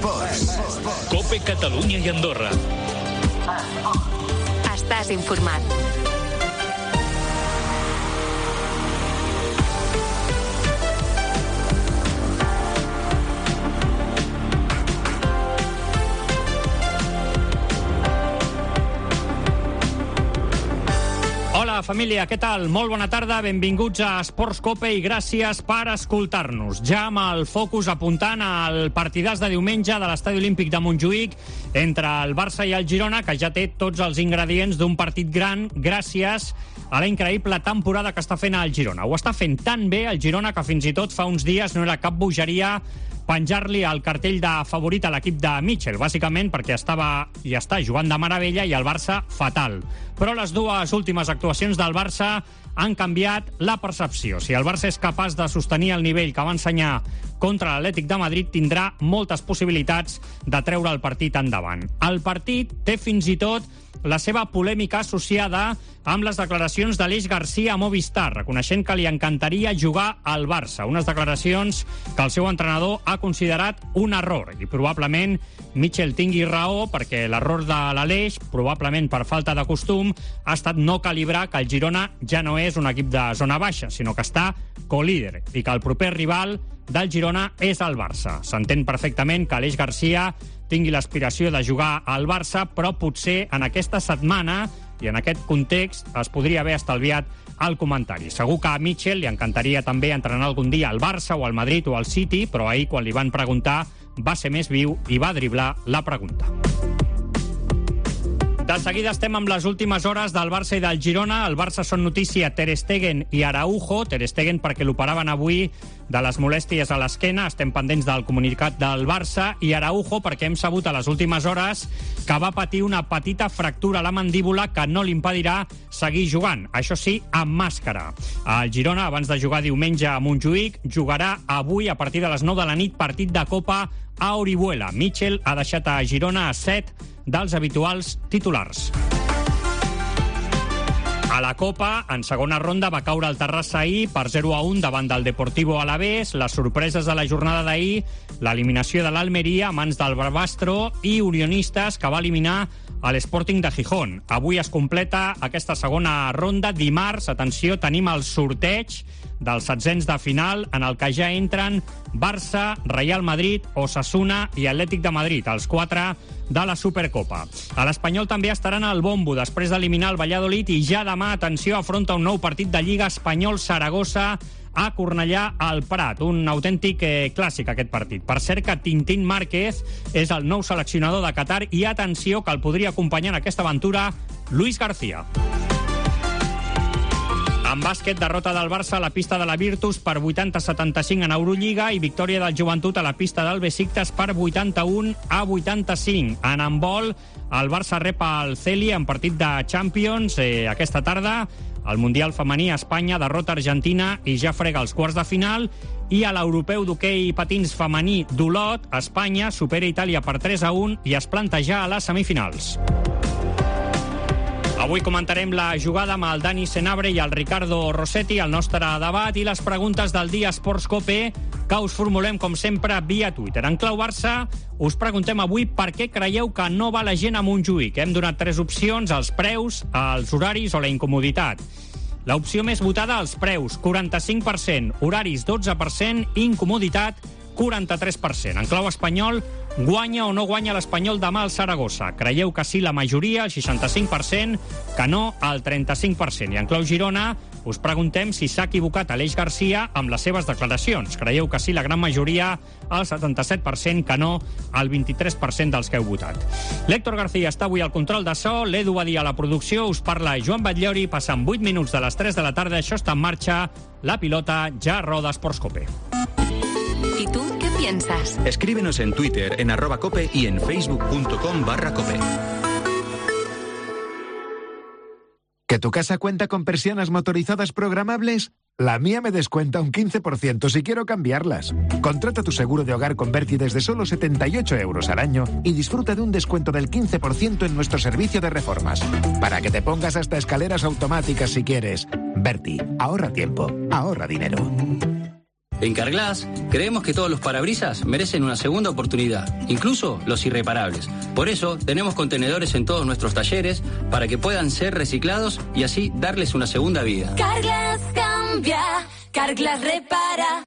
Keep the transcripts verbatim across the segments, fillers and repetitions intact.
Esports. COPE Catalunya i Andorra. Estàs informat. Hola, família, què tal? Molt bona tarda, benvinguts a Esports Cope i gràcies per escoltar-nos. Ja amb el focus apuntant al partidàs de diumenge de l'Estadi Olímpic de Montjuïc entre el Barça i el Girona, que ja té tots els ingredients d'un partit gran gràcies a la increïble temporada que està fent el Girona. Ho està fent tan bé el Girona que fins i tot fa uns dies no era cap bogeria penjar-li el cartell de favorit a l'equip de Mitchell, bàsicament perquè estava i està jugant de meravella i el Barça fatal. Però les dues últimes actuacions del Barça han canviat la percepció. Si el Barça és capaç de sostenir el nivell que va ensenyar contra l'Atlètic de Madrid, tindrà moltes possibilitats de treure el partit endavant. El partit té fins i tot la seva polèmica associada amb les declaracions d'Aleix Garcia a Movistar, reconeixent que li encantaria jugar al Barça. Unes declaracions que el seu entrenador ha considerat un error. I probablement Mitchell tingui raó, perquè l'error de l'Aleix, probablement per falta de costum, ha estat no calibrar que el Girona ja no és un equip de zona baixa, sinó que està co-líder i que el proper rival del Girona és el Barça. S'entén perfectament que Aleix Garcia tingui l'aspiració de jugar al Barça, però potser en aquesta setmana i en aquest context es podria haver estalviat el comentari. Segur que a Mitchell li encantaria també entrenar algun dia al Barça o al Madrid o al City, però ahir, quan li van preguntar, va ser més viu i va driblar la pregunta. De seguida estem amb les últimes hores del Barça i del Girona. El Barça són notícia Ter Stegen i Araujo. Ter Stegen perquè l'operaven avui de les molèsties a l'esquena. Estem pendents del comunicat del Barça. I Araujo perquè hem sabut a les últimes hores que va patir una petita fractura a la mandíbula que no li impedirà seguir jugant. Això sí, amb màscara. El Girona, abans de jugar diumenge a Montjuïc, jugarà avui a partir de les nou de la nit partit de Copa a Orihuela. Mitchell ha deixat a Girona a set dels habituals titulars. A la Copa, en segona ronda, va caure el Terrassa ahir per zero a un davant del Deportivo Alavés. Les sorpreses de la jornada d'ahir, l'eliminació de l'Almeria a mans del Barbastro i Unionistes, que va eliminar a l'Sporting de Gijón. Avui es completa aquesta segona ronda. Dimarts, atenció, tenim el sorteig dels setzents de final, en el que ja entren Barça, Real Madrid, Osasuna i Atlètic de Madrid, els quatre de la Supercopa. A l'Espanyol també estaran al bombo després d'eliminar el Valladolid i ja demà, atenció, afronta un nou partit de Lliga Espanyol-Saragossa a Cornellà al Prat. Un autèntic eh, clàssic, aquest partit. Per cert que Tintín Márquez és el nou seleccionador de Qatar i atenció que el podria acompanyar en aquesta aventura Luis García. En bàsquet, derrota del Barça a la pista de la Virtus per vuitanta a setanta-cinc en Eurolliga i victòria del Joventut a la pista del Besiktas per vuitanta-un a vuitanta-cinc. En handbol, el Barça rep el Celi en partit de Champions eh, aquesta tarda. Al Mundial femení, Espanya derrota Argentina i ja frega els quarts de final. I a l'europeu d'hoquei patins femení d'Olot, Espanya supera Itàlia per tres a un i es planta ja a les semifinals. Avui comentarem la jugada amb el Dani Senabre i el Ricardo Rossetti, el nostre debat i les preguntes del dia Esports Cope, que us formulem, com sempre, via Twitter. En clau Barça, us preguntem avui per què creieu que no va la gent a Montjuïc. Hem donat tres opcions: els preus, els horaris o la incomoditat. L'opció més votada, els preus, quaranta-cinc per cent, horaris, dotze per cent, incomoditat, quaranta-tres per cent. En clau espanyol, guanya o no guanya l'Espanyol demà al Saragossa? Creieu que sí la majoria, el seixanta-cinc per cent, que no, el trenta-cinc per cent. I en clau Girona, us preguntem si s'ha equivocat Aleix Garcia amb les seves declaracions. Creieu que sí la gran majoria, el setanta-set per cent, que no, el vint-i-tres per cent dels que heu votat. L'Héctor García està avui al control de so, l'Edu Badí a la producció, us parla Joan Batllori, passen vuit minuts de les tres de la tarda, això està en marxa, la pilota ja roda Esports Cope. ¿Y tú qué piensas? Escríbenos en Twitter, en arroba cope y en facebook.com barra cope. ¿Que tu casa cuenta con persianas motorizadas programables? La mía me descuenta un quince por ciento si quiero cambiarlas. Contrata tu seguro de hogar con Berti desde solo setenta y ocho euros al año y disfruta de un descuento del quince por ciento en nuestro servicio de reformas. Para que te pongas hasta escaleras automáticas si quieres. Berti, ahorra tiempo, ahorra dinero. En Carglass creemos que todos los parabrisas merecen una segunda oportunidad, incluso los irreparables. Por eso tenemos contenedores en todos nuestros talleres para que puedan ser reciclados y así darles una segunda vida. Carglass cambia, Carglass repara.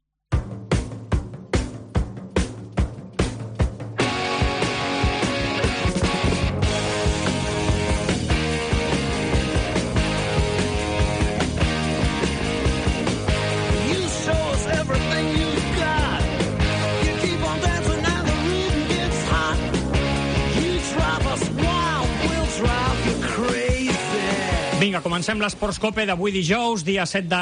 Vinga, comencem l'Esports Cope d'avui dijous, dia set de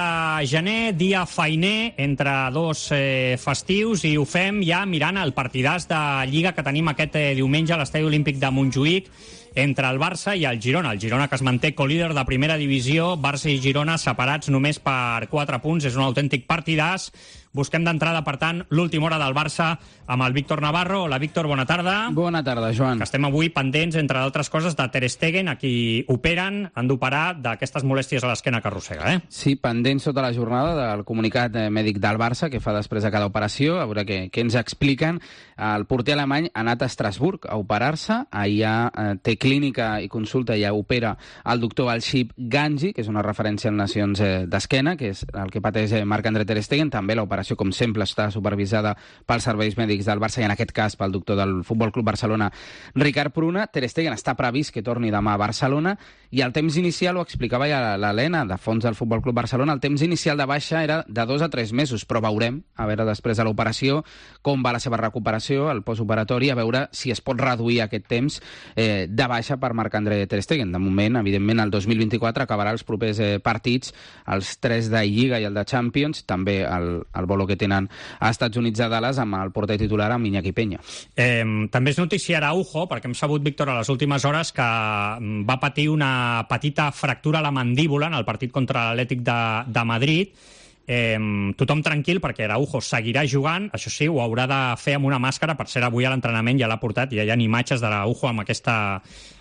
gener, dia feiner entre dos eh, festius, i ho fem ja mirant el partidàs de Lliga que tenim aquest eh, diumenge a l'Estadi Olímpic de Montjuïc entre el Barça i el Girona. El Girona, que es manté colíder de primera divisió, Barça i Girona separats només per quatre punts, és un autèntic partidàs. Busquem d'entrada, per tant, l'última hora del Barça amb el Víctor Navarro. Hola, Víctor, bona tarda. Bona tarda, Joan. Que estem avui pendents, entre d'altres coses, de Ter Stegen, a qui operen, han d'operar d'aquestes molèsties a l'esquena que arrossega, eh? Sí, pendents tota la jornada del comunicat eh, mèdic del Barça, que fa després de cada operació, a veure què, què ens expliquen. El porter alemany ha anat a Estrasburg a operar-se, allà eh, té clínica i consulta, ja opera el doctor Alshib Ganji, que és una referència en lesions eh, d'esquena, que és el que pateix eh, Marc-André Ter Stegen. També l'operació, com sempre, està supervisada pels serveis mèdics del Barça i, en aquest cas, pel doctor del Futbol Club Barcelona, Ricard Pruna. Ter Stegen està previst que torni demà a Barcelona, i el temps inicial, ho explicava ja l'Helena, de fons del Futbol Club Barcelona, el temps inicial de baixa era de dos a tres mesos, però veurem, a veure després de l'operació, com va la seva recuperació, el postoperatori, a veure si es pot reduir aquest temps eh, de baixa per Marc-André Ter Stegen. De moment, evidentment, el dos mil vint-i-quatre acabarà els propers eh, partits, els tres de Lliga i el de Champions, també el, el bolo que tenen a Estats Units de Dallas amb el porter titular, amb Iñaki Peña. Eh, també és notícia Araujo, perquè hem sabut, Víctor, a les últimes hores que va patir una petita fractura a la mandíbula en el partit contra l'Atlètic de, de Madrid. Eh, tothom tranquil, perquè Araujo seguirà jugant, això sí, ho haurà de fer amb una màscara. Per cert, avui a l'entrenament ja l'ha portat, i ja hi ha imatges d'Araujo amb aquesta,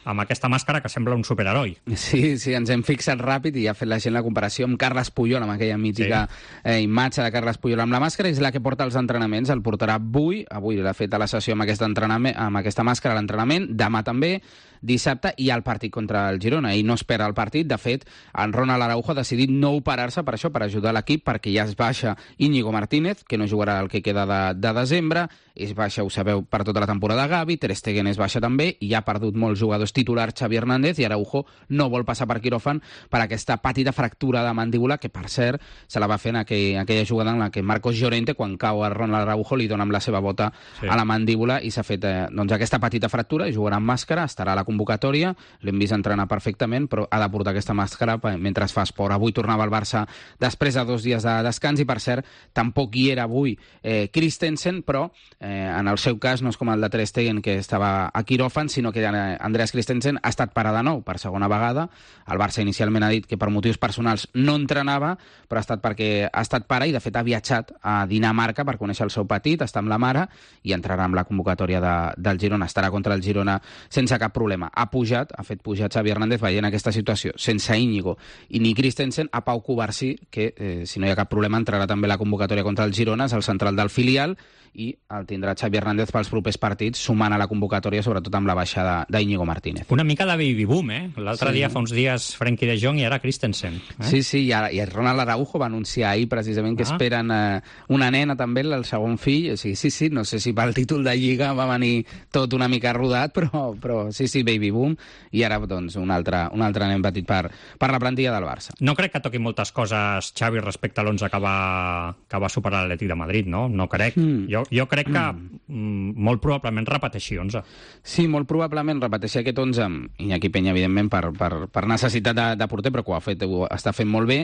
amb aquesta màscara que sembla un superheroi. Sí, sí, ens hem fixat ràpid i ha fet la gent la comparació amb Carles Puyol, amb aquella mítica sí. eh, imatge de Carles Puyol amb la màscara. És la que porta als entrenaments, el portarà avui, avui l'ha fet a la sessió amb, aquest entrenament, amb aquesta màscara a l'entrenament, demà també, dissabte, i al partit contra el Girona. Ell no espera el partit. De fet, en Ronald Araujo ha decidit no operar-se per això, per ajudar l'equip, perquè ja es baixa Íñigo Martínez, que no jugarà el que queda de, de desembre, es baixa, ho sabeu, per tota la temporada Gavi, Ter Stegen es baixa també, i ha perdut molts jugadors titulars Xavi Hernández, i Araujo no vol passar per quiròfan per aquesta petita fractura de mandíbula, que, per cert, se la va fer en aquell, aquella jugada en la que Marcos Llorente, quan cau a Ronald Araujo, li dona amb la seva bota sí. a la mandíbula, i s'ha fet eh, doncs, aquesta petita fractura, i jugarà amb màscara, estarà a la convocatòria, l'hem vist entrenar perfectament, però ha de portar aquesta màscara mentre fa esport. Avui tornava al Barça després de dos dies de descans, i, per cert, tampoc hi era avui eh, Christensen, però eh, en el seu cas no és com el de Ter Stegen, que estava a quiròfan, sinó que eh, Andreas Christensen ha estat parat de nou per segona vegada. El Barça inicialment ha dit que per motius personals no entrenava, però ha estat perquè ha estat pare, i de fet ha viatjat a Dinamarca per conèixer el seu petit, està amb la mare, i entrarà amb la convocatòria de, del Girona. Estarà contra el Girona sense cap problema. Ha pujat, ha fet pujar Xavi Hernández veient aquesta situació, sense Íñigo i ni Christensen, a Pau Covarsí, que eh, si no hi ha cap problema entrarà també a la convocatòria contra el Girona, és el central del filial, i el tindrà Xavi Hernández pels propers partits, sumant a la convocatòria, sobretot amb la baixada d'Íñigo Martínez. Una mica de baby boom, eh? L'altre sí. dia, fa uns dies, Frenkie de Jong, i ara Christensen. Eh? Sí, sí, i, ara, i Ronald Araujo va anunciar ahir precisament que ah. esperen eh, una nena també, el segon fill. O sigui, sí, sí, no sé si pel títol de Lliga va venir tot una mica rodat, però, però sí, sí, baby boom, i ara doncs un altre, un altre nen petit per, per la plantilla del Barça. No crec que toqui moltes coses, Xavi, respecte a l'onze que va, que va superar l'Atlètic de Madrid, no? No crec. Mm. Jo, jo crec que mm. molt probablement repeteixi onze. Sí, molt probablement repeteixi aquest onze, amb Iñaki Peña, evidentment, per, per, per necessitat de, de porter, però que ho ha fet, ho està fent molt bé.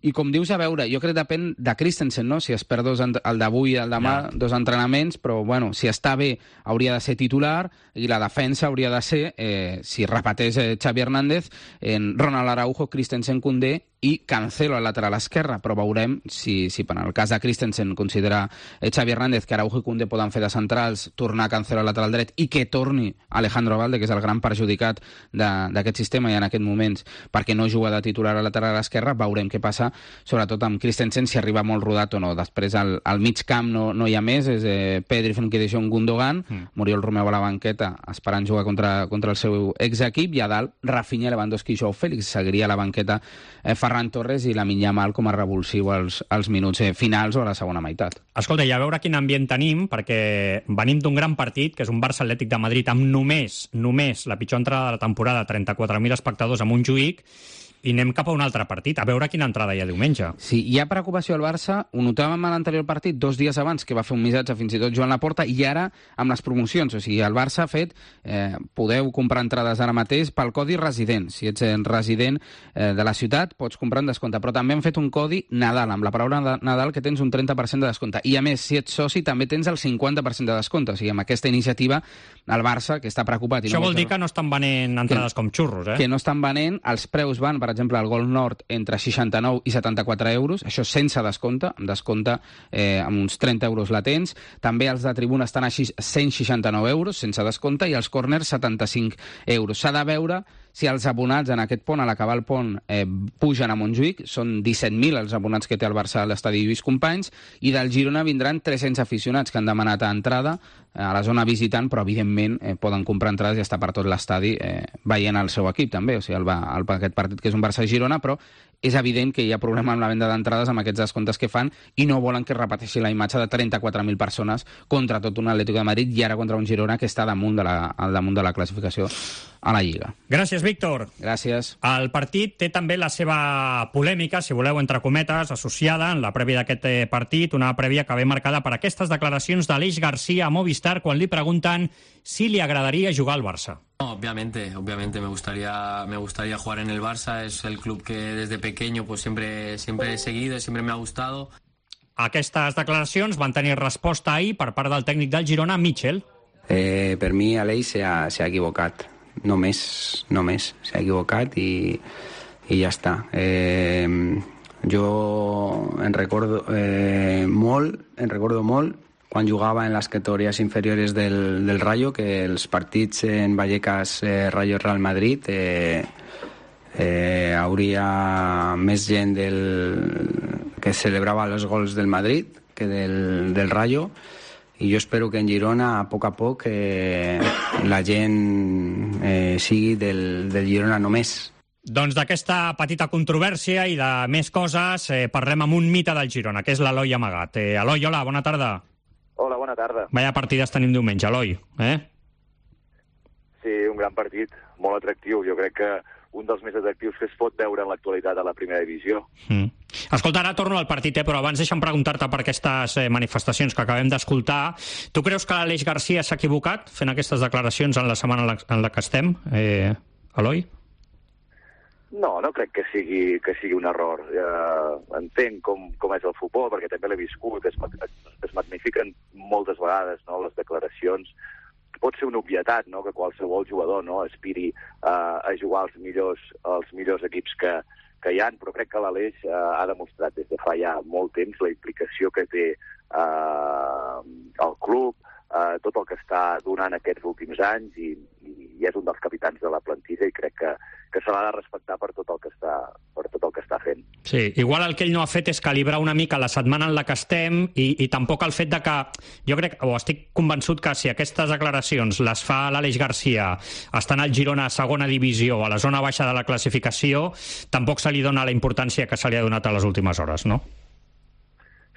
I com dius, a veure, jo crec que depèn de Christensen, no? Si es perd dos, el d'avui i el demà, ja. dos entrenaments, però bueno, si està bé hauria de ser titular, i la defensa hauria de ser, eh, si repeteix eh, Xavi Hernández, en Ronald Araujo, Christensen, Koundé i Cancelo al lateral esquerre, però veurem si, si per el cas de Christensen considera eh, Xavi Hernández que Araujo i Koundé poden fer de centrals, tornar Cancelo al lateral dret i que torni Alejandro Valde, que és el gran perjudicat d'aquest sistema i en aquests moments perquè no juga de titular al lateral esquerre. Veurem què passa, sobretot amb Christensen, si arriba molt rodat o no. Després al, al mig camp no, no hi ha més, és eh, Pedri, Frenkie de Jong, Gundogan, mm. Muriel Romeu a la banqueta esperant jugar contra, contra el seu exequip, i a dalt Rafinha, Lewandowski i Joao Félix. Seguiria a la banqueta eh, Ferran Torres i Lamine Yamal com a revulsiu als, als minuts eh, finals o a la segona meitat. Escolta, i a veure quin ambient tenim, perquè venim d'un gran partit, que és un Barça Atlètic de Madrid amb només, només la pitjor entrada de la temporada, trenta-quatre mil espectadors a Montjuïc, i anem cap a un altre partit, a veure quina entrada hi ha diumenge. Sí, hi ha preocupació al Barça, ho notàvem a l'anterior partit, dos dies abans, que va fer un missatge fins i tot Joan Laporta, i ara amb les promocions, o sigui, el Barça ha fet, eh, podeu comprar entrades ara mateix pel codi resident. Si ets resident eh, de la ciutat, pots comprar en descompte, però també han fet un codi Nadal, amb la paraula Nadal, que tens un trenta per cent de descompte. I a més, si ets soci, també tens el cinquanta per cent de descompte. O sigui, amb aquesta iniciativa, el Barça, que està preocupat... I Això no vol dir que no estan venent entrades que, com xurros, eh? Que no estan venent, els preus van, per exemple, al Gol Nord entre seixanta-nou i setanta-quatre euros, això sense descompte, amb descompte eh, amb uns trenta euros la tens. També els de tribuna estan a cent seixanta-nou euros, sense descompte, i els corners setanta-cinc euros. S'ha de veure si els abonats en aquest pont, a l'acabar el pont, eh, pugen a Montjuïc. Són disset mil els abonats que té el Barça a l'estadi Lluís Companys, i del Girona vindran tres-cents aficionats que han demanat a entrada eh, a la zona visitant, però evidentment eh, poden comprar entrades i estar per tot l'estadi eh, veient el seu equip també, o sigui, el, el, aquest partit que és un Barça-Girona, però és evident que hi ha problema amb la venda d'entrades amb aquests descomptes que fan, i no volen que es repeteixi la imatge de trenta-quatre mil persones contra tot un Atlético de Madrid i ara contra un Girona que està damunt de la, al damunt de la classificació a la Lliga. Gràcies, Víctor. Gràcies. El partit té també la seva polèmica, si voleu, entre cometes, associada en la prèvia d'aquest partit, una prèvia que ve marcada per aquestes declaracions d'Aleix García a Movistar quan li pregunten si li agradaria jugar al Barça. No, obviamente, obviamente me gustaría, me gustaría jugar en el Barça. Es el club que desde pequeño pues siempre, siempre he seguido, siempre me ha gustado. Aquestes declaracions van tenir resposta ahir per part del tècnic del Girona, Michel. Eh, per mi, Aleix s'ha equivocat. Només, només s'ha equivocat i, i ja està. Eh, jo en recordo eh, molt, en recordo molt quan jugava en les categories inferiores del, del Rayo, que els partits en Vallecas eh, Rayo Real Madrid eh, eh, hauria més gent del, que celebrava els gols del Madrid que del, del Rayo, i jo espero que en Girona a poc a poc eh, la gent eh, sigui del, del Girona només. Doncs d'aquesta petita controvèrsia i de més coses eh, parlem amb un mite del Girona, que és l'Eloi Amagat. Eh, Eloi, hola, bona tarda. Hola, bona tarda. Vaya partides tenim diumenge, Eloi. Eh? Sí, un gran partit, molt atractiu. Jo crec que un dels més atractius que es pot veure en l'actualitat a la primera divisió. Mm. Escolta, ara torno al partit, eh, però abans deixa'm preguntar-te per aquestes eh, manifestacions que acabem d'escoltar. Tu creus que l'Aleix García s'ha equivocat fent aquestes declaracions en la setmana en la, en la que estem, eh, Eloi? No, no crec que sigui, que sigui un error. Eh, entenc com, com és el futbol, perquè també l'he viscut. Es, es magnifiquen moltes vegades, no, les declaracions. Pot ser una obvietat, no?, que qualsevol jugador, no?, aspiri uh, a jugar als millors, als millors equips que, que hi ha, però crec que l'Aleix uh, ha demostrat des de fa ja molt temps la implicació que té uh, el club, uh, tot el que està donant aquests últims anys, i, i és un dels capitans de la plantilla, i crec que, que se l'ha de respectar per tot el que està, per tot el que està fent. Sí, igual el que ell no ha fet és calibrar una mica la setmana en la que estem, i, i tampoc el fet de que, jo crec, o estic convençut que si aquestes declaracions les fa l'Aleix García estant al Girona a segona divisió, a la zona baixa de la classificació, tampoc se li dona la importància que se li ha donat a les últimes hores, no?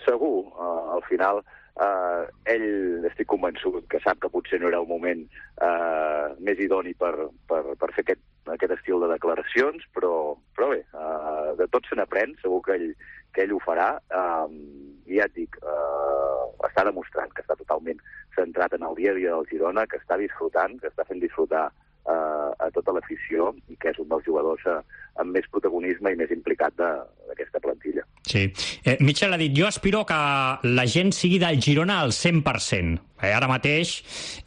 Segur, uh, al final uh, ell estic convençut que sap que potser no era el moment uh, més idoni per, per, per fer aquest, aquest estil de declaracions, però, però bé, uh, de tot se n'aprèn, segur que ell, que ell ho farà, um, i ja et dic, uh, està demostrant que està totalment centrat en el dia a dia del Girona, que està disfrutant, que està fent disfrutar uh, a tota l'afició i que és un dels jugadors eh, amb més protagonisme i més implicat d'aquesta plantilla. Sí. Eh, Michel ha dit, jo aspiro que la gent sigui del Girona al cent per cent. Eh, ara mateix,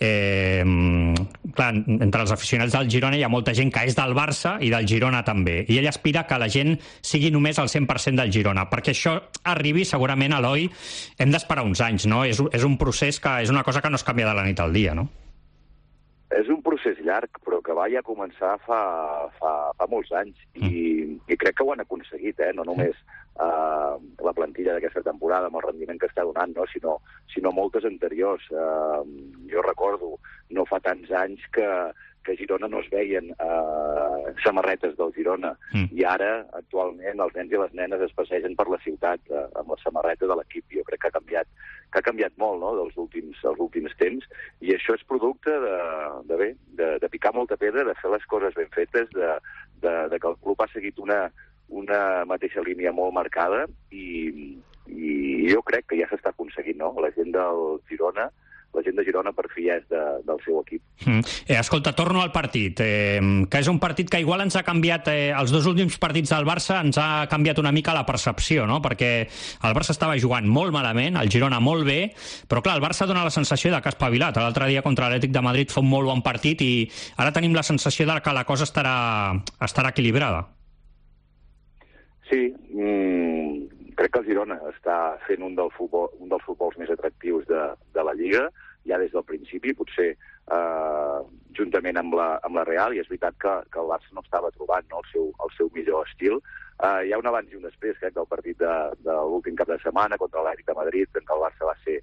eh, clar, entre els aficionats del Girona hi ha molta gent que és del Barça i del Girona també. I ell aspira que la gent sigui només al cent per cent del Girona. Perquè això arribi, segurament, Eloi, hem d'esperar uns anys, no? És, és un procés que és una cosa que no es canvia de la nit al dia, no? És un procés llarg, però que va ja començar fa, fa, fa molts anys i, i crec que ho han aconseguit, eh? No només uh, la plantilla d'aquesta temporada amb el rendiment que està donant, no? sinó, sinó moltes anteriors. Uh, jo recordo, no fa tants anys que, que a Girona no es veien uh, samarretes del Girona mm. i ara, actualment, els nens i les nenes es passegen per la ciutat uh, amb la samarreta de l'equip. Jo crec que ha canviat que ha canviat molt, no?, dels últims, dels últims temps, i això és producte de, de, bé, de, de picar molta pedra, de fer les coses ben fetes, de, de, de que el club ha seguit una, una mateixa línia molt marcada, i, i jo crec que ja s'està aconseguint, no? La gent del Girona, la gent de Girona per fi és de, del seu equip. Mm. Eh, escolta, torno al partit, eh, que és un partit que igual ens ha canviat, eh, els dos últims partits del Barça ens ha canviat una mica la percepció, no? Perquè el Barça estava jugant molt malament, el Girona molt bé, però clar, el Barça dona la sensació de que ha espavilat. L'altre dia contra l'Atlètic de Madrid fa un molt bon partit i ara tenim la sensació de que la cosa estarà, estarà equilibrada. Sí, mm, crec que el Girona està fent un, del futbol, un dels futbols més atractius de, de la Lliga, ja des del principi, potser eh, juntament amb la, amb la Real, i és veritat que, que el Barça no estava trobant, no, el, seu, el seu millor estil. Eh, hi ha un abans i un després, crec, del partit de, de l'últim cap de setmana contra l'Atlètic de Madrid, en què el Barça va ser,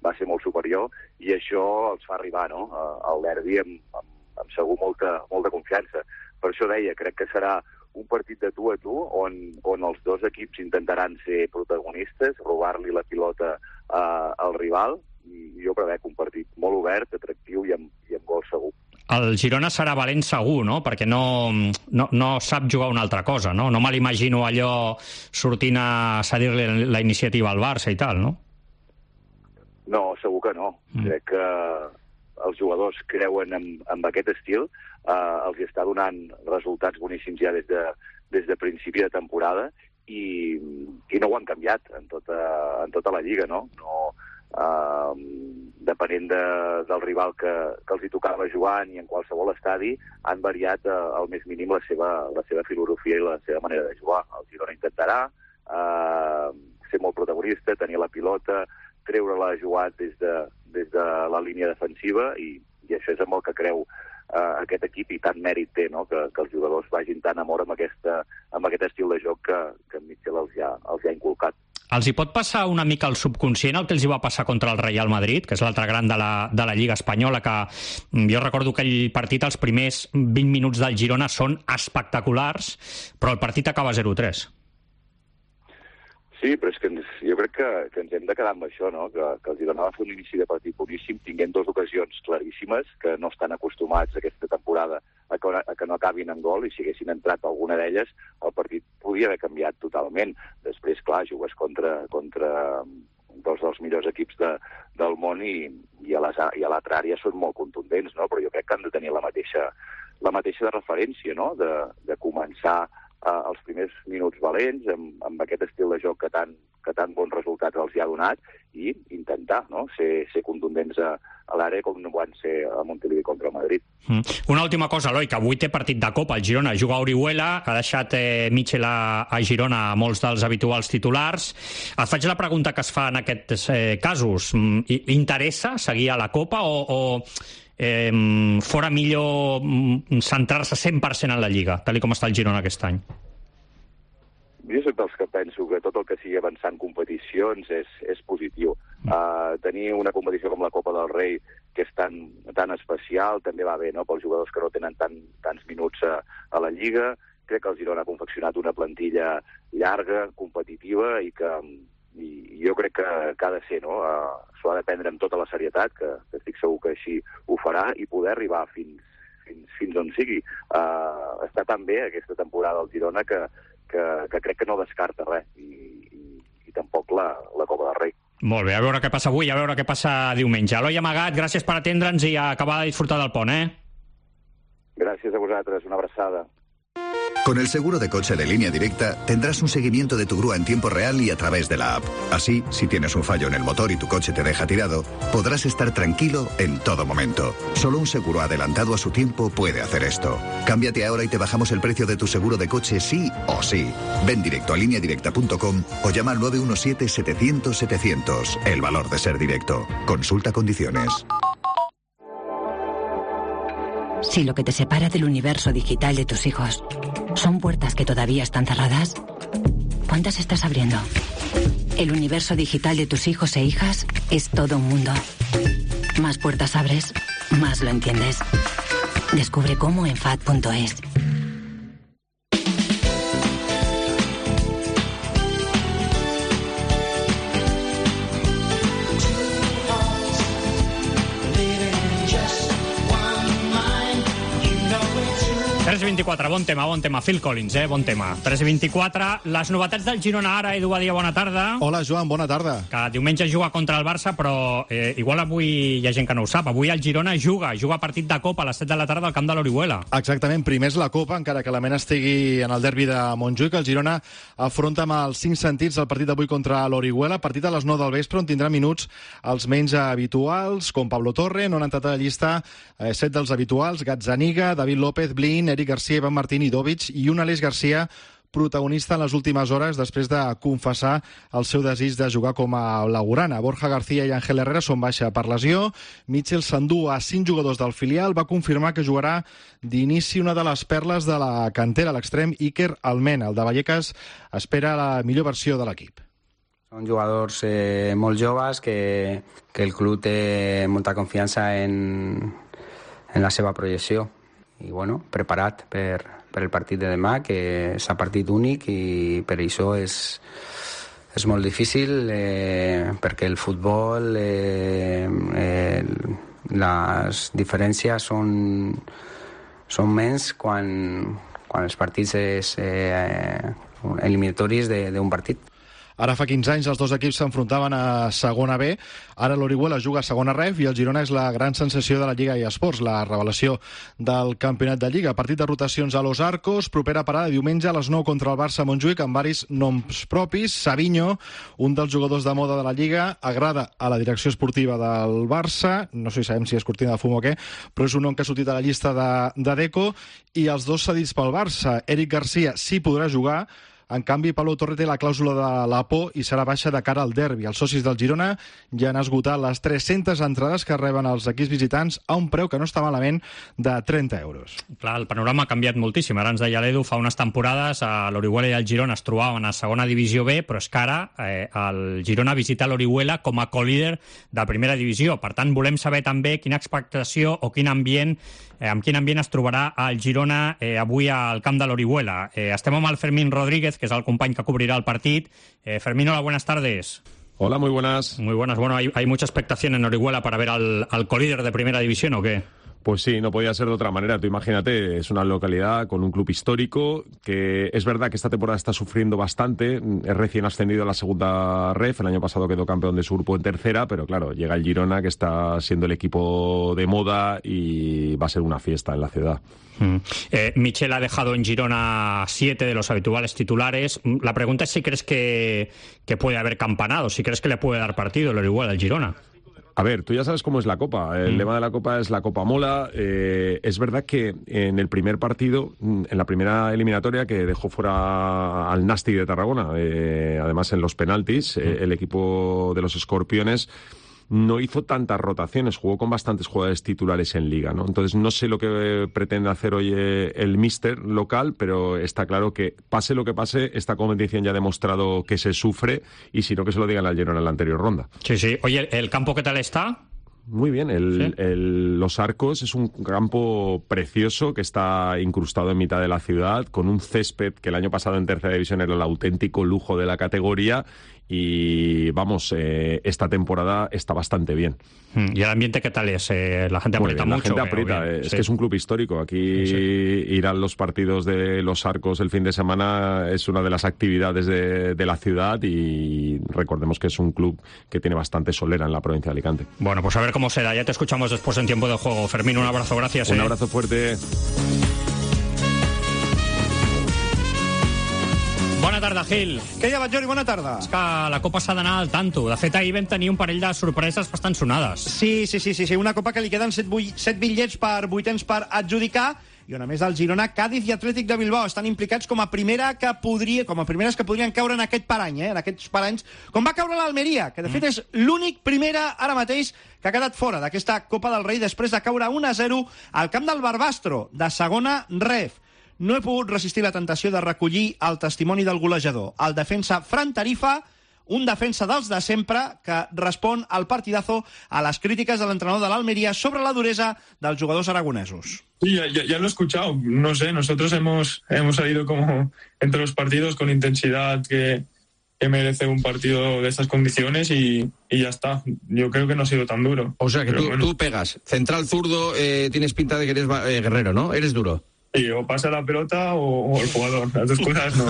va ser molt superior, i això els fa arribar, no?, al derbi amb, amb, amb segur molta, molta confiança. Per això deia, crec que serà un partit de tu a tu, on, on els dos equips intentaran ser protagonistes, robar-li la pilota eh, al rival, i jo prevec un partit molt obert, atractiu i amb, i amb gol segur. El Girona serà valent segur, no? Perquè no, no, no sap jugar una altra cosa, no? No me l'imagino allò sortint a cedir-li la iniciativa al Barça i tal, no? No, segur que no. Mm. Crec que els jugadors creuen en, en aquest estil, eh, els està donant resultats boníssims ja des de, des de principi de temporada i, i no ho han canviat en tota, en tota la Lliga, no? No Uh, depenent de, del rival que, que els hi tocava jugant i en qualsevol estadi, han variat uh, al més mínim la seva, la seva filosofia i la seva manera de jugar. El Girona intentarà uh, ser molt protagonista, tenir la pilota, treure-la jugat des de, des de la línia defensiva, i, i això és amb el que creu uh, aquest equip, i tant mèrit té, no?, que, que els jugadors vagin tan amor amb, aquesta, amb aquest estil de joc que, que en Michel els ha, els ha inculcat. Els hi pot passar una mica al subconscient el que els hi va passar contra el Real Madrid, que és l'altre gran de la, de la Lliga Espanyola, que jo recordo que aquell partit, els primers vint minuts del Girona són espectaculars, però el partit acaba zero tres. Sí, però és que ens, jo crec que, que ens hem de quedar amb això, no?, que, que el Girona va fer un inici de partit boníssim, tinguent dues ocasions claríssimes, que no estan acostumats aquesta temporada a que, a que no acabin en gol, i si haguessin entrat alguna d'elles, el partit podia haver canviat totalment. Després, clar, jugues contra, contra dos dels millors equips de, del món i, i a l'altra àrea són molt contundents, no?, però jo crec que han de tenir la mateixa, la mateixa de referència, no?, de, de començar Uh, els primers minuts valents, amb, amb aquest estil de joc que tan, que tan bons resultats els hi ha donat, i intentar, no?, ser, ser contundents a, a l'àrea com no van ser a Montilivi contra el Madrid. Mm. Una última cosa, Eloi, que avui té partit de Copa. El Girona juga a Orihuela, que ha deixat eh, Michel a, a Girona a molts dels habituals titulars. Et faig la pregunta que es fa en aquests eh, casos. Interessa seguir a la Copa o... o... Eh, fora millor centrar-se cent per cent en la Lliga, tal com està el Girona aquest any? Jo soc dels que penso que tot el que sigui avançar en competicions és, és positiu. Uh, tenir una competició com la Copa del Rei, que és tan, tan especial, també va bé, no?, pels jugadors que no tenen tant, tants minuts a, a la Lliga. Crec que el Girona ha confeccionat una plantilla llarga, competitiva, i que i jo crec que, que ha de ser, no?, uh, s'ho ha de prendre amb tota la serietat, que, que estic segur que així ho farà, i poder arribar fins, fins, fins on sigui. Uh, està tan bé aquesta temporada al Girona que, que, que crec que no descarta res, i, i, i tampoc la, la Copa del Rei. Molt bé, a veure què passa avui, a veure què passa diumenge. Eloi Amagat, gràcies per atendre'ns i acabar de disfrutar del pont, eh? Gràcies a vosaltres, una abraçada. Con el seguro de coche de Línea Directa tendrás un seguimiento de tu grúa en tiempo real y a través de la app. Así, si tienes un fallo en el motor y tu coche te deja tirado, podrás estar tranquilo en todo momento. Solo un seguro adelantado a su tiempo puede hacer esto. Cámbiate ahora y te bajamos el precio de tu seguro de coche sí o sí. Ven directo a línea directa punto com o llama al nueve uno siete, setecientos, setecientos. El valor de ser directo. Consulta condiciones. Si lo que te separa del universo digital de tus hijos son puertas que todavía están cerradas, ¿cuántas estás abriendo? El universo digital de tus hijos e hijas es todo un mundo. Más puertas abres, más lo entiendes. Descubre cómo en F A D punto es. tres i vint-i-quatre, bon tema, bon tema. Phil Collins, eh? Bon tema. tres i vint-i-quatre. Les novetats del Girona ara. Edu Badia, bona tarda. Hola, Joan, bona tarda. Que diumenge juga contra el Barça, però eh, igual avui hi ha gent que no ho sap. Avui el Girona juga, juga partit de Copa a les set de la tarda al camp de l'Orihuela. Exactament, primer és la Copa, encara que la mena estigui en el derbi de Montjuïc. El Girona afronta amb els cinc sentits el partit d'avui contra l'Orihuela. Partit a les nou del vespre, on tindrà minuts els menys habituals, com Pablo Torre, no han entrat a la llista eh, set dels habituals, Gazzaniga, David López, Blin, Eric García, Ivan Martín i Dovic, i un Aleix García protagonista en les últimes hores després de confessar el seu desig de jugar com a blaugrana. Borja García i Ángel Herrera són baixa per lesió. Mitchell s'endú a cinc jugadors del filial. Va confirmar que jugarà d'inici una de les perles de la cantera, l'extrem Iker Almena. El de Vallecas espera la millor versió de l'equip. Són jugadors eh, molt joves que, que el club té molta confiança en, en la seva projecció. I bueno, preparat per, per el partit de demà, que és un partit únic i per això és, és molt difícil, eh, perquè el futbol, eh, eh, les diferències són, són menys quan, quan els partits és eh, eliminatoris d'un partit. Ara fa quinze anys els dos equips s'enfrontaven a segona B, ara l'Orihuela juga a segona Ref i el Girona és la gran sensació de la Lliga eSports, la revelació del campionat de Lliga. Partit de rotacions a Los Arcos, propera parada diumenge a les nou contra el Barça a Montjuïc amb varis noms propis. Savinho, un dels jugadors de moda de la Lliga, agrada a la direcció esportiva del Barça, no sé si sabem si és cortina de fum o què, però és un nom que ha sortit a la llista de, de Deco, i els dos cedits pel Barça. Eric García sí podrà jugar. En canvi, Pablo Torre té la clàusula de la por i serà baixa de cara al derbi. Els socis del Girona ja han esgotat les tres-centes entrades que reben els equips visitants a un preu que no està malament de trenta euros. Clar, el panorama ha canviat moltíssim. Ara ens deia l'Edu, fa unes temporades a l'Orihuela i el Girona es trobaven a segona divisió B, però és que ara eh, el Girona visita l'Orihuela com a colíder de primera divisió. Per tant, volem saber també quina expectació o quin ambient Eh, amb quin ambient es trobarà el Girona eh, avui al camp de l'Orihuela. Eh, estem amb el Fermín Rodríguez, que és el company que cobrirà el partit. Eh, Fermín, hola, buenas tardes. Hola, muy buenas. Muy buenas. Bueno, ¿hay, hay mucha expectación en Orihuela para ver al, al colíder de primera división o qué? Pues sí, no podía ser de otra manera. Tú imagínate, es una localidad con un club histórico que es verdad que esta temporada está sufriendo bastante. Es recién ascendido a la segunda Ref. El año pasado quedó campeón de su grupo en tercera, pero claro, llega el Girona, que está siendo el equipo de moda y va a ser una fiesta en la ciudad. Mm. Eh, Michel ha dejado en Girona siete de los habituales titulares. La pregunta es si crees que, que puede haber campanado, si crees que le puede dar partido el Orihuela al Girona. A ver, tú ya sabes cómo es la Copa. El mm. lema de la Copa es la Copa mola. Eh, es verdad que en el primer partido, en la primera eliminatoria, que dejó fuera al Nasti de Tarragona, eh, además en los penaltis, mm. eh, el equipo de los Escorpiones no hizo tantas rotaciones, jugó con bastantes jugadores titulares en Liga, ¿no? Entonces no sé lo que pretende hacer hoy el míster local, pero está claro que pase lo que pase, esta competición ya ha demostrado que se sufre, y si no, que se lo digan al Girona en la anterior ronda. Sí, sí. Oye, ¿el campo qué tal está? Muy bien, el, ¿Sí? el, Los Arcos es un campo precioso que está incrustado en mitad de la ciudad, con un césped que el año pasado en tercera división era el auténtico lujo de la categoría, y vamos, eh, esta temporada está bastante bien. ¿Y el ambiente qué tal es? Eh, la gente Muy aprieta bien, mucho. la gente aprieta, bien, es sí. que es un club histórico. Aquí sí. ir a los partidos de los Arcos el fin de semana es una de las actividades de, de la ciudad y recordemos que es un club que tiene bastante solera en la provincia de Alicante. Bueno, pues a ver cómo se da. Ya te escuchamos después en tiempo de juego. Fermín, un abrazo, gracias. Un eh. abrazo fuerte. Bona tarda, Gil. Què hi ha, Batllori? Bona tarda. És que la Copa s'ha d'anar al tanto. De fet, ahir vam tenir un parell de sorpreses bastant sonades. Sí, sí, sí, sí, sí. Una Copa que li queden set, set bitllets per vuitens per adjudicar i on a més del Girona, Cádiz i Atlètic de Bilbao estan implicats com a primera que podria, com a primeres que podrien caure en aquest parany, eh? en aquests paranys, com va caure l'Almeria, que de fet és l'únic primera ara mateix que ha quedat fora d'aquesta Copa del Rei després de caure un a zero al camp del Barbastro, de segona ref. No he pogut resistir la tentació de recollir el testimoni del golejador, el defensa Fran Tarifa, un defensa dels de sempre que respon al partidazo a les crítiques de l'entrenador de l'Almeria sobre la duresa dels jugadors aragonesos. Sí, ya, ya, ya lo he escuchado. No sé, nosotros hemos, hemos salido como entre los partidos con intensidad que, que merece un partido de estas condiciones y, y ya está. Yo creo que no ha sido tan duro. O sea que tú, bueno. tú pegas. Central zurdo, eh, tienes pinta de que eres eh, guerrero, ¿no? Eres duro. Sí, o pasa la pelota o, o el jugador. Las dos cosas no.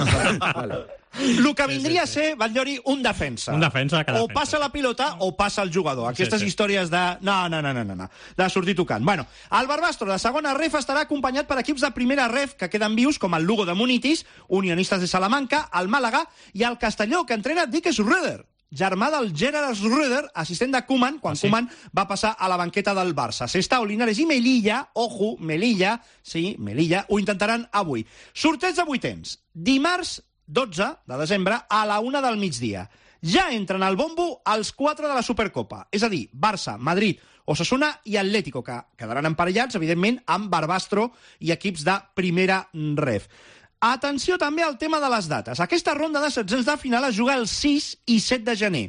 Vale. El que vindria a ser, Batllori, un defensa. Un defensa que O defensa. passa la pilota o passa el jugador. Aquestes Sí, sí. històries de... No, no, no, no, no, no. De sortir tocant. Bueno, el Barbastro de segona ref estarà acompanyat per equips de primera ref que queden vius, com el Lugo de Munitis, Unionistes de Salamanca, el Màlaga i el Castelló, que entrena Dick Schröder, germà del Gerard Schröder, assistent de Koeman, quan ah, sí? Koeman va passar a la banqueta del Barça. Sestao, Linares i Melilla, ojo, Melilla, sí, Melilla, ho intentaran avui. Sorteig de vuitens. Dimarts dotze de desembre a la una del migdia. Ja entren al bombo els quatre de la Supercopa, és a dir, Barça, Madrid, Osasuna i Atlético, que quedaran emparellats, evidentment, amb Barbastro i equips de primera ref. Atenció també al tema de les dates. Aquesta ronda de setzents de final es juga el sis i set de gener,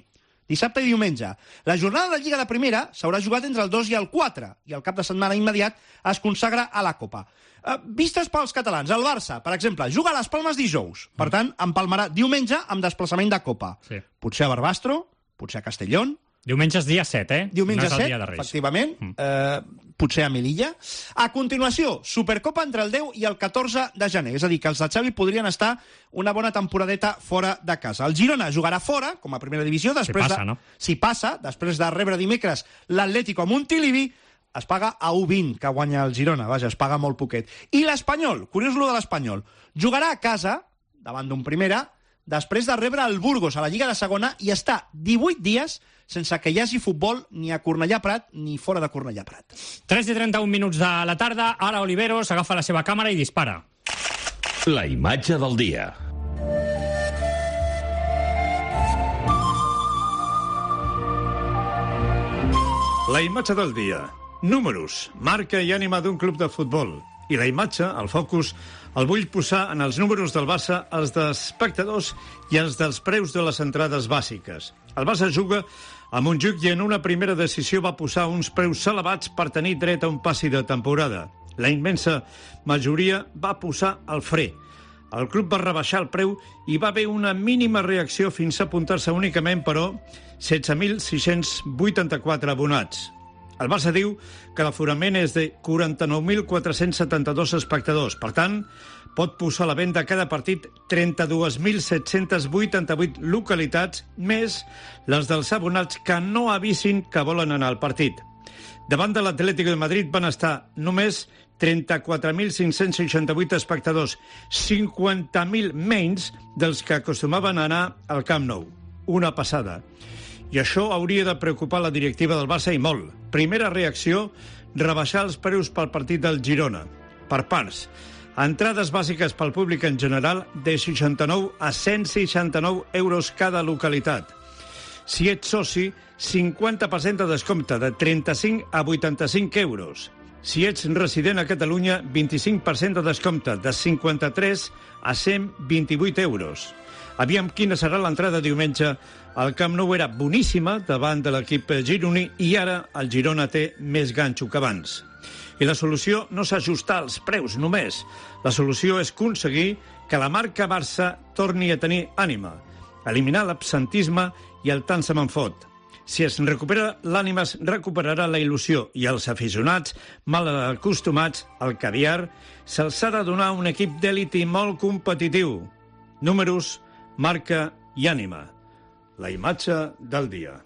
dissabte i diumenge. La jornada de Lliga de Primera s'haurà jugat entre el dos i el quatre, i el cap de setmana immediat es consagra a la Copa. Uh, vistes pels catalans, el Barça, per exemple, juga a les Palmes dijous, per tant, empalmarà diumenge amb desplaçament de Copa. Sí. Potser a Barbastro, potser a Castellón. Diumenge és dia set, eh? Diumenge no és el set, dia de Reis. efectivament. Mm. Eh, potser a Melilla. A continuació, Supercopa entre el deu i el catorze de gener. És a dir, que els de Xavi podrien estar una bona temporadeta fora de casa. El Girona jugarà fora, com a primera divisió, després si passa, de, no? Si passa, després de rebre dimecres l'Atlético a Montilivi, es paga a u vint que guanya el Girona. Vaja, es paga molt poquet. I l'Espanyol, curiós lo de l'Espanyol, jugarà a casa, davant d'un primera, després de rebre el Burgos a la Lliga de Segona i està divuit dies sense que hi hagi futbol ni a Cornellà Prat ni fora de Cornellà Prat. tres i trenta-un minuts de la tarda, ara Oliveros agafa la seva càmera i dispara. La imatge del dia. La imatge del dia. Números, marca i ànima d'un club de futbol. I la imatge, el focus, el vull posar en els números del Barça, els d'espectadors i els dels preus de les entrades bàsiques. El Barça juga a Montjuïc i en una primera decisió va posar uns preus elevats per tenir dret a un passi de temporada. La immensa majoria va posar el fre. El club va rebaixar el preu i va haver una mínima reacció fins a apuntar-se únicament, però, setze mil sis-cents vuitanta-quatre abonats. El Barça diu que l'aforament és de quaranta-nou mil quatre-cents setanta-dos espectadors. Per tant, pot posar a la venda cada partit trenta-dos mil set-cents vuitanta-vuit localitats, més les dels abonats que no avisin que volen anar al partit. Davant de l'Atlético de Madrid van estar només trenta-quatre mil cinc-cents seixanta-vuit espectadors, cinquanta mil menys dels que acostumaven a anar al Camp Nou. Una passada. I això hauria de preocupar la directiva del Barça i molt. Primera reacció, rebaixar els preus pel partit del Girona. Per parts. Entrades bàsiques pel públic en general de seixanta-nou a cent seixanta-nou euros cada localitat. Si ets soci, cinquanta per cent de descompte, de trenta-cinc a vuitanta-cinc euros. Si ets resident a Catalunya, vint-i-cinc per cent de descompte, de cinquanta-tres a cent vint-i-vuit euros. Aviam quina serà l'entrada diumenge. El Camp Nou era boníssima davant de l'equip gironí i ara el Girona té més ganxo que abans. I la solució no s'ajustar als preus només. La solució és aconseguir que la marca Barça torni a tenir ànima. eliminar l'absentisme i el tant se me'n fot. Si es recupera l'ànima, es recuperarà la il·lusió i els aficionats, mal acostumats al caviar, se'ls ha de donar un equip d'èlit i molt competitiu. Números, marca i ànima. La imatge del dia.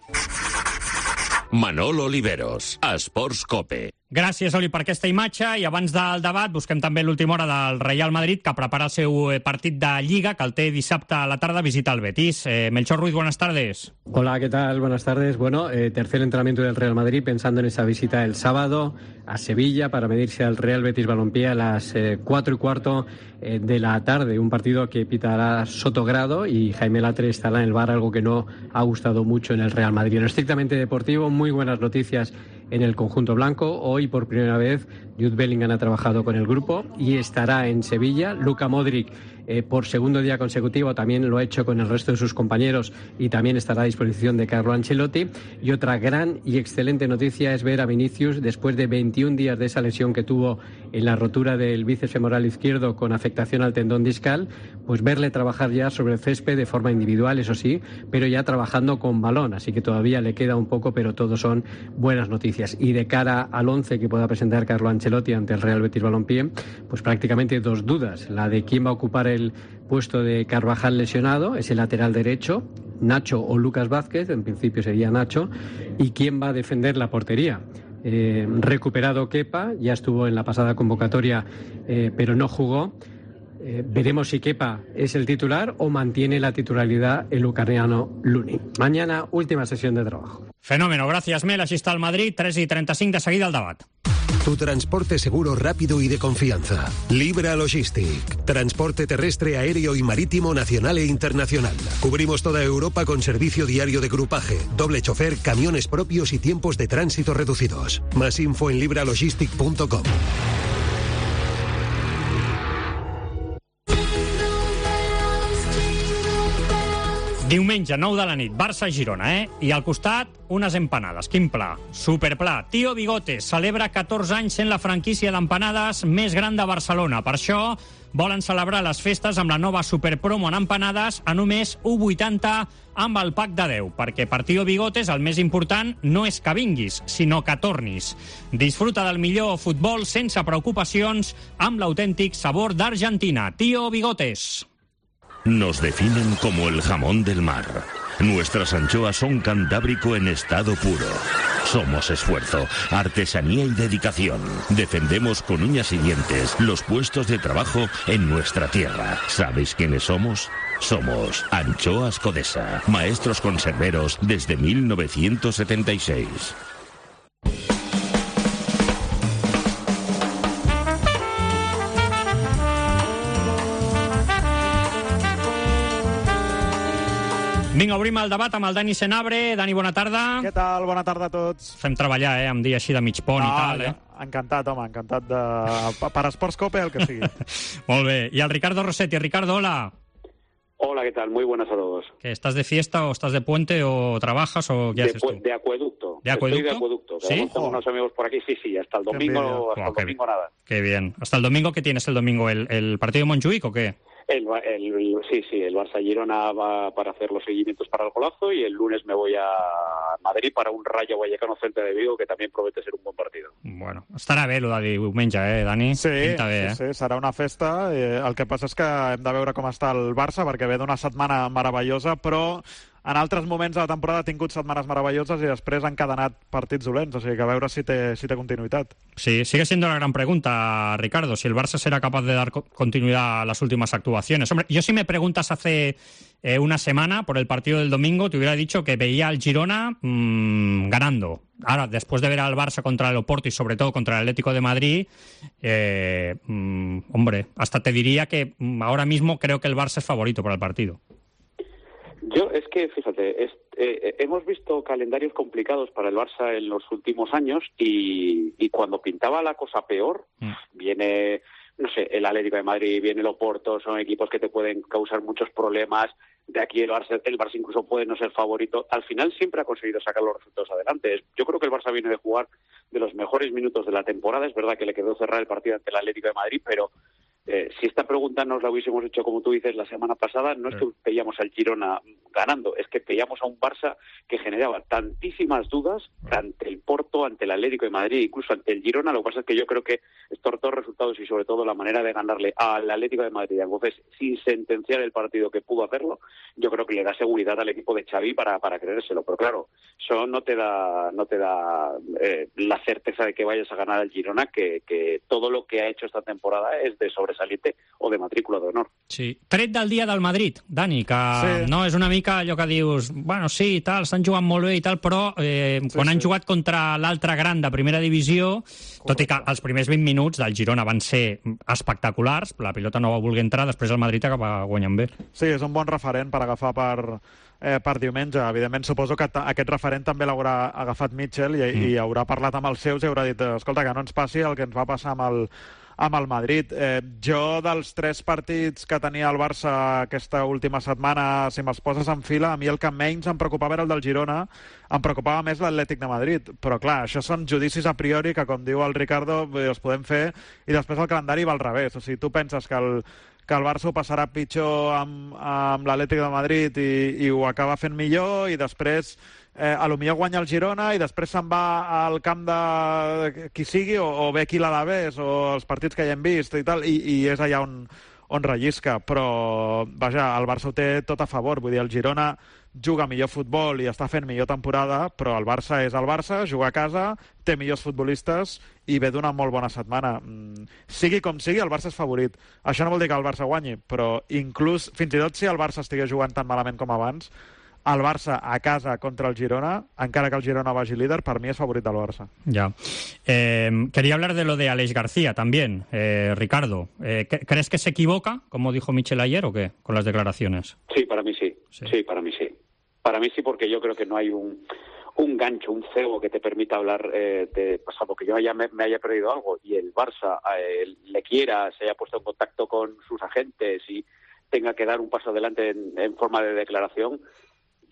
Manol Oliveros, Esports Cope. Gràcies, Oli, per aquesta imatge. I abans del debat, busquem també l'última hora del Real Madrid, que prepara el seu partit de Lliga, que el té dissabte a la tarda, visita el Betis. Eh, Melchor Ruiz, buenas tardes. Hola, ¿qué tal? Buenas tardes. Bueno, eh, tercer entrenamiento del Real Madrid, pensando en esa visita el sábado a Sevilla para medirse al Real Betis Balompié a las eh, cuatro y cuarto eh, de la tarde. Un partido que pitará Sotogrado y Jaime Latre estará en el V A R, algo que no ha gustado mucho en el Real Madrid. En lo estrictamente deportivo, muy buenas noticias en el conjunto blanco. Hoy, por primera vez, Jude Bellingham ha trabajado con el grupo y estará en Sevilla. Luka Modric, eh, por segundo día consecutivo, también lo ha hecho con el resto de sus compañeros y también estará a disposición de Carlo Ancelotti. Y otra gran y excelente noticia es ver a Vinicius, después de veintiún días de esa lesión que tuvo en la rotura del bíceps femoral izquierdo con afectación al tendón discal, pues verle trabajar ya sobre el césped de forma individual, eso sí, pero ya trabajando con balón. Así que todavía le queda un poco, pero todo son buenas noticias. Y de cara al once que pueda presentar Carlo Ancelotti ante el Real Betis Balompié, pues prácticamente dos dudas. La de quién va a ocupar el puesto de Carvajal lesionado, ese lateral derecho, Nacho o Lucas Vázquez, en principio sería Nacho, y quién va a defender la portería. Eh, recuperado Kepa, ya estuvo en la pasada convocatoria, eh, pero no jugó. Eh, veremos si Kepa es el titular o mantiene la titularidad el ucraniano Luni. Mañana, última sesión de trabajo. Fenómeno, gracias, Mel. Així està el Madrid, tres i trenta-cinc, de seguida el debat. Tu transporte seguro, rápido y de confianza. Libra Logistic. Transporte terrestre, aéreo y marítimo nacional e internacional. Cubrimos toda Europa con servicio diario de grupaje, doble chofer, camiones propios y tiempos de tránsito reducidos. Más info en libralogistic punto com. Diumenge, nou de la nit, Barça-Girona, eh? I al costat, unes empanades. Quin pla? Superpla. Tío Bigotes celebra catorze anys sent la franquícia d'empanades més gran de Barcelona. Per això, volen celebrar les festes amb la nova superpromo en empanades a només u coma vuitanta amb el pack de deu, perquè per Tío Bigotes el més important no és que vinguis, sinó que tornis. Disfruta del millor futbol sense preocupacions amb l'autèntic sabor d'Argentina. Tío Bigotes. Nos definen como el jamón del mar. Nuestras anchoas son cantábrico en estado puro. Somos esfuerzo, artesanía y dedicación. Defendemos con uñas y dientes los puestos de trabajo en nuestra tierra. ¿Sabéis quiénes somos? Somos Anchoas Codesa, maestros conserveros desde mil novecientos setenta y seis. Vinga, obrim el debat amb el Dani Senabre. Dani, bona tarda. Què tal? Bona tarda a tots. Fem treballar, eh, amb dia així de mig pont no, i tal, eh? Encantat, home, encantat de... Per Esports Cope, el que sigui. Molt bé. I el Ricardo Rossetti. Ricardo, hola. Hola, ¿qué tal? Muy buenas a todos. ¿Que estás de fiesta o estás de puente o trabajas o qué de, haces tú? De acueducto. ¿De acueducto? Estoy de acueducto. ¿Sí? Tengo unos amigos por aquí. Sí, sí, hasta el domingo, hasta oh, el domingo qué, nada. Qué bien. ¿Hasta el domingo qué tienes el domingo? ¿El, el partido de Montjuic o qué? El, el, el, sí, sí, el Barça-Girona va para hacer los seguimientos para el golazo y el lunes me voy a Madrid para un Rayo Vallecano Celta de Vigo, que también promete ser un buen partido. Bueno, estarà bé el de diumenge, eh, Dani? Sí, Pinta bé, sí, eh? sí, serà una festa. Eh, el que passa és que hem de veure com està el Barça, perquè ve d'una setmana meravellosa, però en altres moments de la temporada ha tingut setmanes meravelloses i després han encadenat partits dolents, o sigui que a veure si té, si té continuïtat. Sí, sigue siendo la gran pregunta, Ricardo, si el Barça será capaz de dar continuidad a las últimas actuaciones. Hombre, yo si me preguntas hace eh, una semana por el partido del domingo, te hubiera dicho que veía al Girona mmm, ganando. Ahora, después de ver al Barça contra el Oporto y sobre todo contra el Atlético de Madrid, eh, mmm, hombre, hasta te diría que mmm, ahora mismo creo que el Barça es favorito para el partido. Yo, es que, fíjate, es, eh, hemos visto calendarios complicados para el Barça en los últimos años y, y cuando pintaba la cosa peor, mm. viene, no sé, el Atlético de Madrid, viene el Oporto, son equipos que te pueden causar muchos problemas. De aquí el Barça, el Barça incluso puede no ser favorito. Al final siempre ha conseguido sacar los resultados adelante. Yo creo que el Barça viene de jugar de los mejores minutos de la temporada. Es verdad que le quedó cerrar el partido ante el Atlético de Madrid, pero Eh, si esta pregunta nos la hubiésemos hecho, como tú dices, la semana pasada, no es que veíamos al Girona ganando. Es que veíamos a un Barça que generaba tantísimas dudas ante el Porto, ante el Atlético de Madrid, incluso ante el Girona. Lo que pasa es que yo creo que estos dos resultados y sobre todo la manera de ganarle al Atlético de Madrid, entonces sin sentenciar el partido que pudo hacerlo, yo creo que le da seguridad al equipo de Xavi para, para creérselo. Pero claro, eso no te da no te da eh, la certeza de que vayas a ganar al Girona, que, que todo lo que ha hecho esta temporada es de sobresaliente o de matrícula d'honor. Sí. Tret del dia del Madrid, Dani, que sí. no és una mica allò que dius, bueno, sí, tal, estan jugant molt bé i tal, però eh, sí, quan sí. han jugat contra l'altre gran de primera divisió, correcte. Tot i que els primers vint minuts del Girona van ser espectaculars, la pilota no va voler entrar, després el Madrid acaba guanyant bé. Sí, és un bon referent per agafar per, eh, per diumenge. Evidentment, suposo que aquest referent també l'haurà agafat Mitchell i, mm. i haurà parlat amb els seus i haurà dit, escolta, que no ens passi el que ens va passar amb el amb el Madrid. Eh, jo, dels tres partits que tenia el Barça aquesta última setmana, si me'ls poses en fila, a mi el que menys em preocupava era el del Girona, em preocupava més l'Atlètic de Madrid. Però, clar, això són judicis a priori que, com diu el Ricardo, els podem fer, i després el calendari va al revés. O sigui, tu penses que el, que el Barça ho passarà pitjor amb, amb l'Atlètic de Madrid i, i ho acaba fent millor, i després Eh, a lo millor guanya el Girona i després se'n va al camp de qui sigui, o, o bé qui l'Alavés, o els partits que ja hem vist i tal, i, i és allà on, on rellisca. Però, vaja, el Barça ho té tot a favor. Vull dir, el Girona juga millor futbol i està fent millor temporada, però el Barça és el Barça, juga a casa, té millors futbolistes i ve d'una molt bona setmana. Mm, sigui com sigui, el Barça és favorit. Això no vol dir que el Barça guanyi, però inclús, fins i tot si el Barça estigués jugant tan malament com abans, el Barça a casa contra el Girona, encara que el Girona vagi líder, per mi és favorit del Barça. Ya. Eh, quería hablar de lo de Aleix García también, eh, Ricardo. Eh, ¿Crees que se equivoca, como dijo Michel ayer, o qué, con las declaraciones? Sí, para mí sí. Sí, sí para mí sí. Para mí sí, porque yo creo que no hay un, un gancho, un cebo que te permita hablar eh, de pasado, que yo haya, me, me haya perdido algo y el Barça eh, le quiera, se haya puesto en contacto con sus agentes y tenga que dar un paso adelante en, en forma de declaración.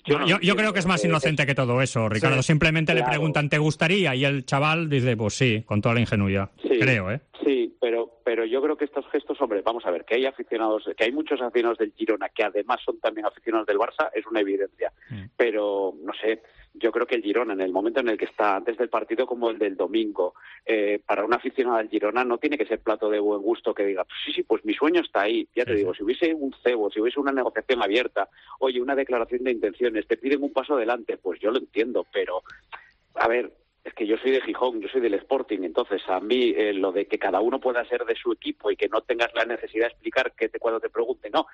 Yo, no yo, yo creo que es más inocente que todo eso, Ricardo. Sí, Simplemente claro. le preguntan, ¿te gustaría? Y el chaval dice, pues sí, con toda la ingenuidad. Sí, creo, ¿eh? Sí, pero, pero yo creo que estos gestos, hombre, vamos a ver, que hay aficionados, que hay muchos aficionados del Girona que además son también aficionados del Barça, es una evidencia. Mm. Pero, no sé, yo creo que el Girona, en el momento en el que está, antes del partido como el del domingo, eh, para un aficionado del Girona no tiene que ser plato de buen gusto que diga, pues sí, sí, pues mi sueño está ahí. Ya te sí, digo, sí. si hubiese un cebo, si hubiese una negociación abierta, oye, una declaración de intenciones, te piden un paso adelante, pues yo lo entiendo, pero, a ver, es que yo soy de Gijón, yo soy del Sporting, entonces a mí eh, lo de que cada uno pueda ser de su equipo y que no tengas la necesidad de explicar que te, cuando te pregunten, no.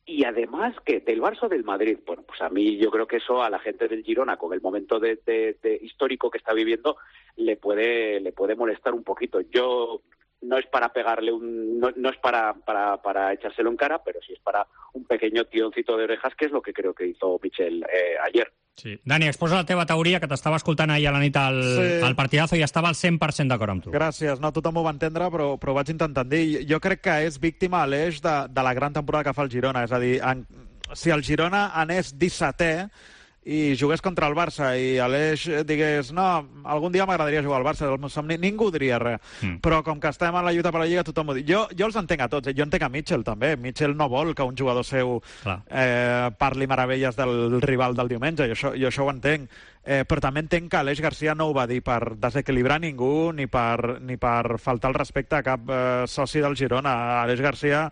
Y además, que del Barça o del Madrid, bueno, pues a mí yo creo que eso a la gente del Girona, con el momento de, de, de histórico que está viviendo, le puede le puede molestar un poquito. Yo no es para pegarle un, no, no es para, para para echárselo en cara, pero sí es para un pequeño tironcito de orejas, que és lo que creo que hizo Michel eh, ayer. Sí. Dani, exposa la teva teoria, que t'estava escoltant ahir a la nit al, sí. al partidazo i estava al cent per cent d'acord amb tu. Gràcies, no tothom ho va entendre, però, però ho vaig intentar dir. Jo crec que és víctima a l'eix de, de la gran temporada que fa el Girona, és a dir, en, si el Girona anés dissetè i jugués contra el Barça i Aleix digués, no, algun dia m'agradaria jugar al Barça, el meu somni, ningú diria res. Mm. Però com que estem en la lluita per la Lliga, tothom ho diu. Jo, jo els entenc a tots, eh? Jo entenc a Mitchell també. Mitchell no vol que un jugador seu eh, parli meravelles del rival del diumenge, i això, jo això ho entenc. Eh, però també entenc que Aleix García no ho va dir per desequilibrar ningú ni per, ni per faltar el respecte a cap eh, soci del Girona. Aleix García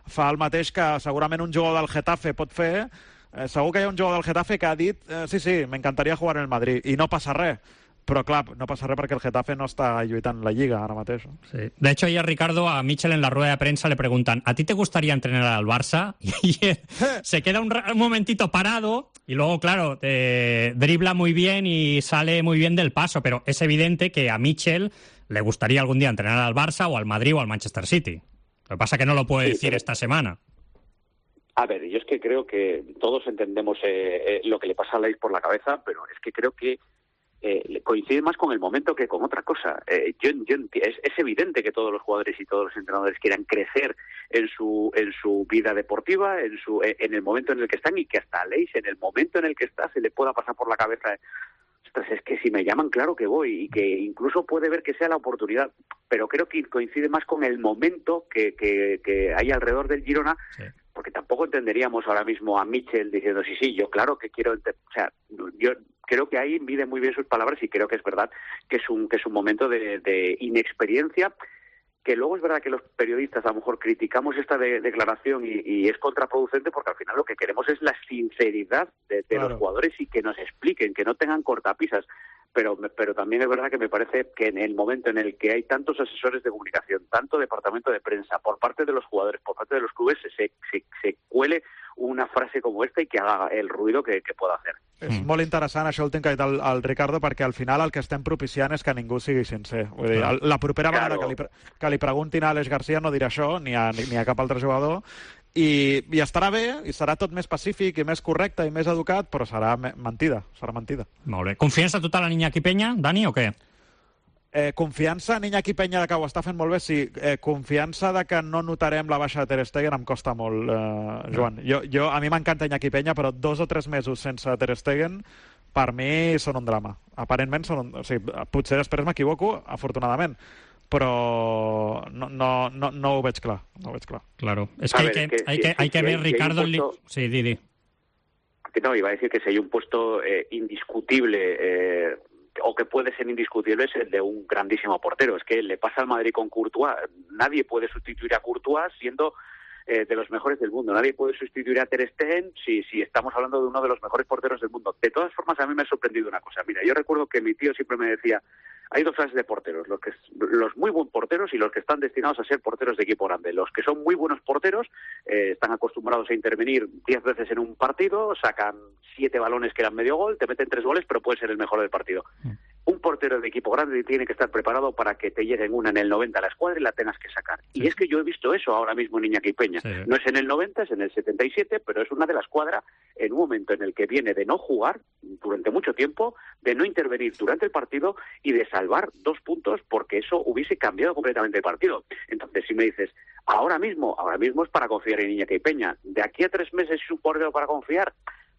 fa el mateix que segurament un jugador del Getafe pot fer. Eh, segur que hi ha un jugador del Getafe que ha dit eh, sí, sí, m'encantaria jugar en el Madrid, i no passa res. Però clar, no passa res perquè el Getafe no està lluitant la Lliga ara mateix. Sí. De hecho, ayer Ricardo, a Michel en la rueda de prensa le preguntan, ¿a ti te gustaría entrenar al Barça? Y él se queda un, un momentito parado y luego, claro, eh, dribla muy bien y sale muy bien del paso, pero es evidente que a Michel le gustaría algún día entrenar al Barça o al Madrid o al Manchester City. Lo que pasa es que no lo puede sí, decir pero... esta semana. A ver, yo es que creo que todos entendemos eh, eh, lo que le pasa a Aleix por la cabeza, pero es que creo que eh, coincide más con el momento que con otra cosa. Eh, yo, yo es, es evidente que todos los jugadores y todos los entrenadores quieran crecer en su en su vida deportiva, en su en el momento en el que están, y que hasta Aleix, en el momento en el que está, se le pueda pasar por la cabeza, ostras, es que si me llaman, claro que voy, y que incluso puede ver que sea la oportunidad, pero creo que coincide más con el momento que, que, que hay alrededor del Girona, sí. Porque porque tampoco entenderíamos ahora mismo a Mitchell diciendo sí, sí, yo claro que quiero, o sea, yo creo que ahí mide muy bien sus palabras y creo que es verdad que es un que es un momento de, de inexperiencia, que luego es verdad que los periodistas a lo mejor criticamos esta de, declaración y, y es contraproducente porque al final lo que queremos es la sinceridad de, de claro. los jugadores y que nos expliquen, que no tengan cortapisas. Pero, pero también es verdad que me parece que en el momento en el que hay tantos asesores de comunicación, tanto departamento de prensa, por parte de los jugadores, por parte de los clubes, se, se, se cuele una frase como esta y que haga el ruido que, que pueda hacer. És mm. molt interessant això últim que ha dit el, el Ricardo, perquè al final el que estem propiciant és que ningú sigui sincer. Vull dir, el, la propera vegada claro. que, li, que li preguntin a Aleix Garcia no dirà això, ni a, ni, ni a cap altre jugador, i, i estarà bé, i serà tot més pacífic i més correcte i més educat, però serà mentida, serà mentida. Molt bé. Confiança total en Iñaki Peña, Dani, o què? Eh, confiança en Iñaki Peña de que ho està fent molt bé, sí. Eh, confiança de que no notarem la baixa de Ter Stegen em costa molt, eh, Joan. Jo, jo, a mi m'encanta Iñaki Peña, però dos o tres mesos sense Ter Stegen per mi són un drama. Aparentment són un... O sigui, potser després m'equivoco, afortunadament, però no, no, no, no ho veig clar. No ho veig clar. Claro. Es que, ver, hay, que, que, hay, si, que, hay que si ver, hay, Ricardo... Si puesto... Sí, di, di. No, iba a decir que si hay un puesto eh, indiscutible... Eh, o que puede ser indiscutible es el de un grandísimo portero. Es que le pasa al Madrid con Courtois. Nadie puede sustituir a Courtois siendo eh, de los mejores del mundo. Nadie puede sustituir a Ter Stegen si, si estamos hablando de uno de los mejores porteros del mundo. De todas formas, a mí me ha sorprendido una cosa. Mira, yo recuerdo que mi tío siempre me decía, hay dos clases de porteros, los, que, los muy buenos porteros y los que están destinados a ser porteros de equipo grande. Los que son muy buenos porteros eh, están acostumbrados a intervenir diez veces en un partido, sacan siete balones que eran medio gol, te meten tres goles, pero puede ser el mejor del partido. Mm. Un portero de equipo grande tiene que estar preparado para que te lleguen una en el noventa a la escuadra y la tengas que sacar. Sí. Y es que yo he visto eso ahora mismo en Iñaki Peña. Sí. No es en el noventa, es en el setenta y siete, pero es una de la escuadra en un momento en el que viene de no jugar durante mucho tiempo, de no intervenir durante el partido y de salvar dos puntos porque eso hubiese cambiado completamente el partido. Entonces, si me dices, ahora mismo, ahora mismo es para confiar en Iñaki Peña. De aquí a tres meses es un portero para confiar.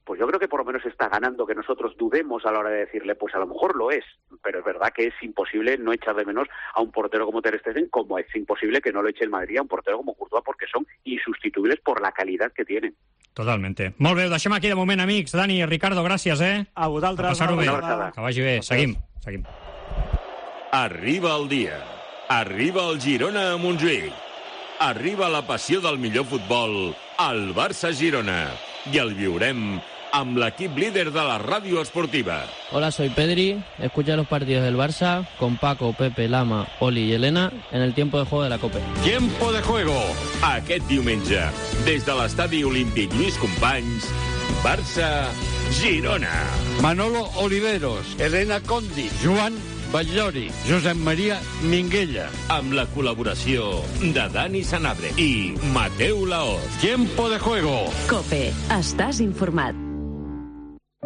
Pues yo creo que por lo menos está ganando que nosotros dudemos a la hora de decirle, pues a lo mejor lo es, pero es verdad que es imposible no echar de menos a un portero como Ter Stegen, como es imposible que no lo eche el Madrid a un portero como Courtois, porque son insustituibles por la calidad que tienen. Totalmente. Molt bé, ho deixem aquí de moment, amics. Dani, Ricardo, gràcies, eh? A vosaltres. A passar-ho bé. Que vagi bé. Seguim, seguim. Arriba el dia. Arriba el Girona a Montjuïc. Arriba la passió del millor futbol al Barça-Girona. I el viurem amb l'equip líder de la ràdio esportiva. Hola, soy Pedri. Escucha los partidos del Barça con Paco, Pepe, Lama, Oli y Elena en el tiempo de juego de la Copa. Tiempo de juego. Aquest diumenge, des de l'estadi Olímpic Lluís Companys, Barça-Girona. Manolo Oliveros, Elena Condi, Joan Batllori, Josep Maria Minguella. Amb la col·laboració de Dani Sanabria i Mateu Laoz. Tiempo de juego. COPE. Estàs informat.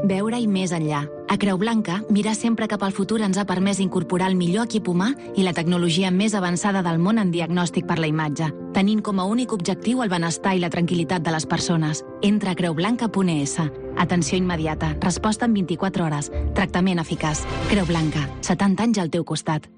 Veure-hi més enllà. A Creu Blanca, mirar sempre cap al futur ens ha permès incorporar el millor equip humà i la tecnologia més avançada del món en diagnòstic per la imatge, tenint com a únic objectiu el benestar i la tranquil·litat de les persones. Entra a creu blanca punt es. Atenció immediata, resposta en vint-i-quatre hores, tractament eficaç. Creu Blanca, setanta anys al teu costat.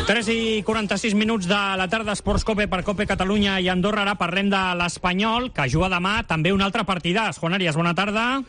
tres i quaranta-sis minuts de la tarda, Esports Cope per Cope Catalunya i Andorra. Ara parlem de l'Espanyol, que juga demà també un altre partidàs. Juan Arias, bona tarda.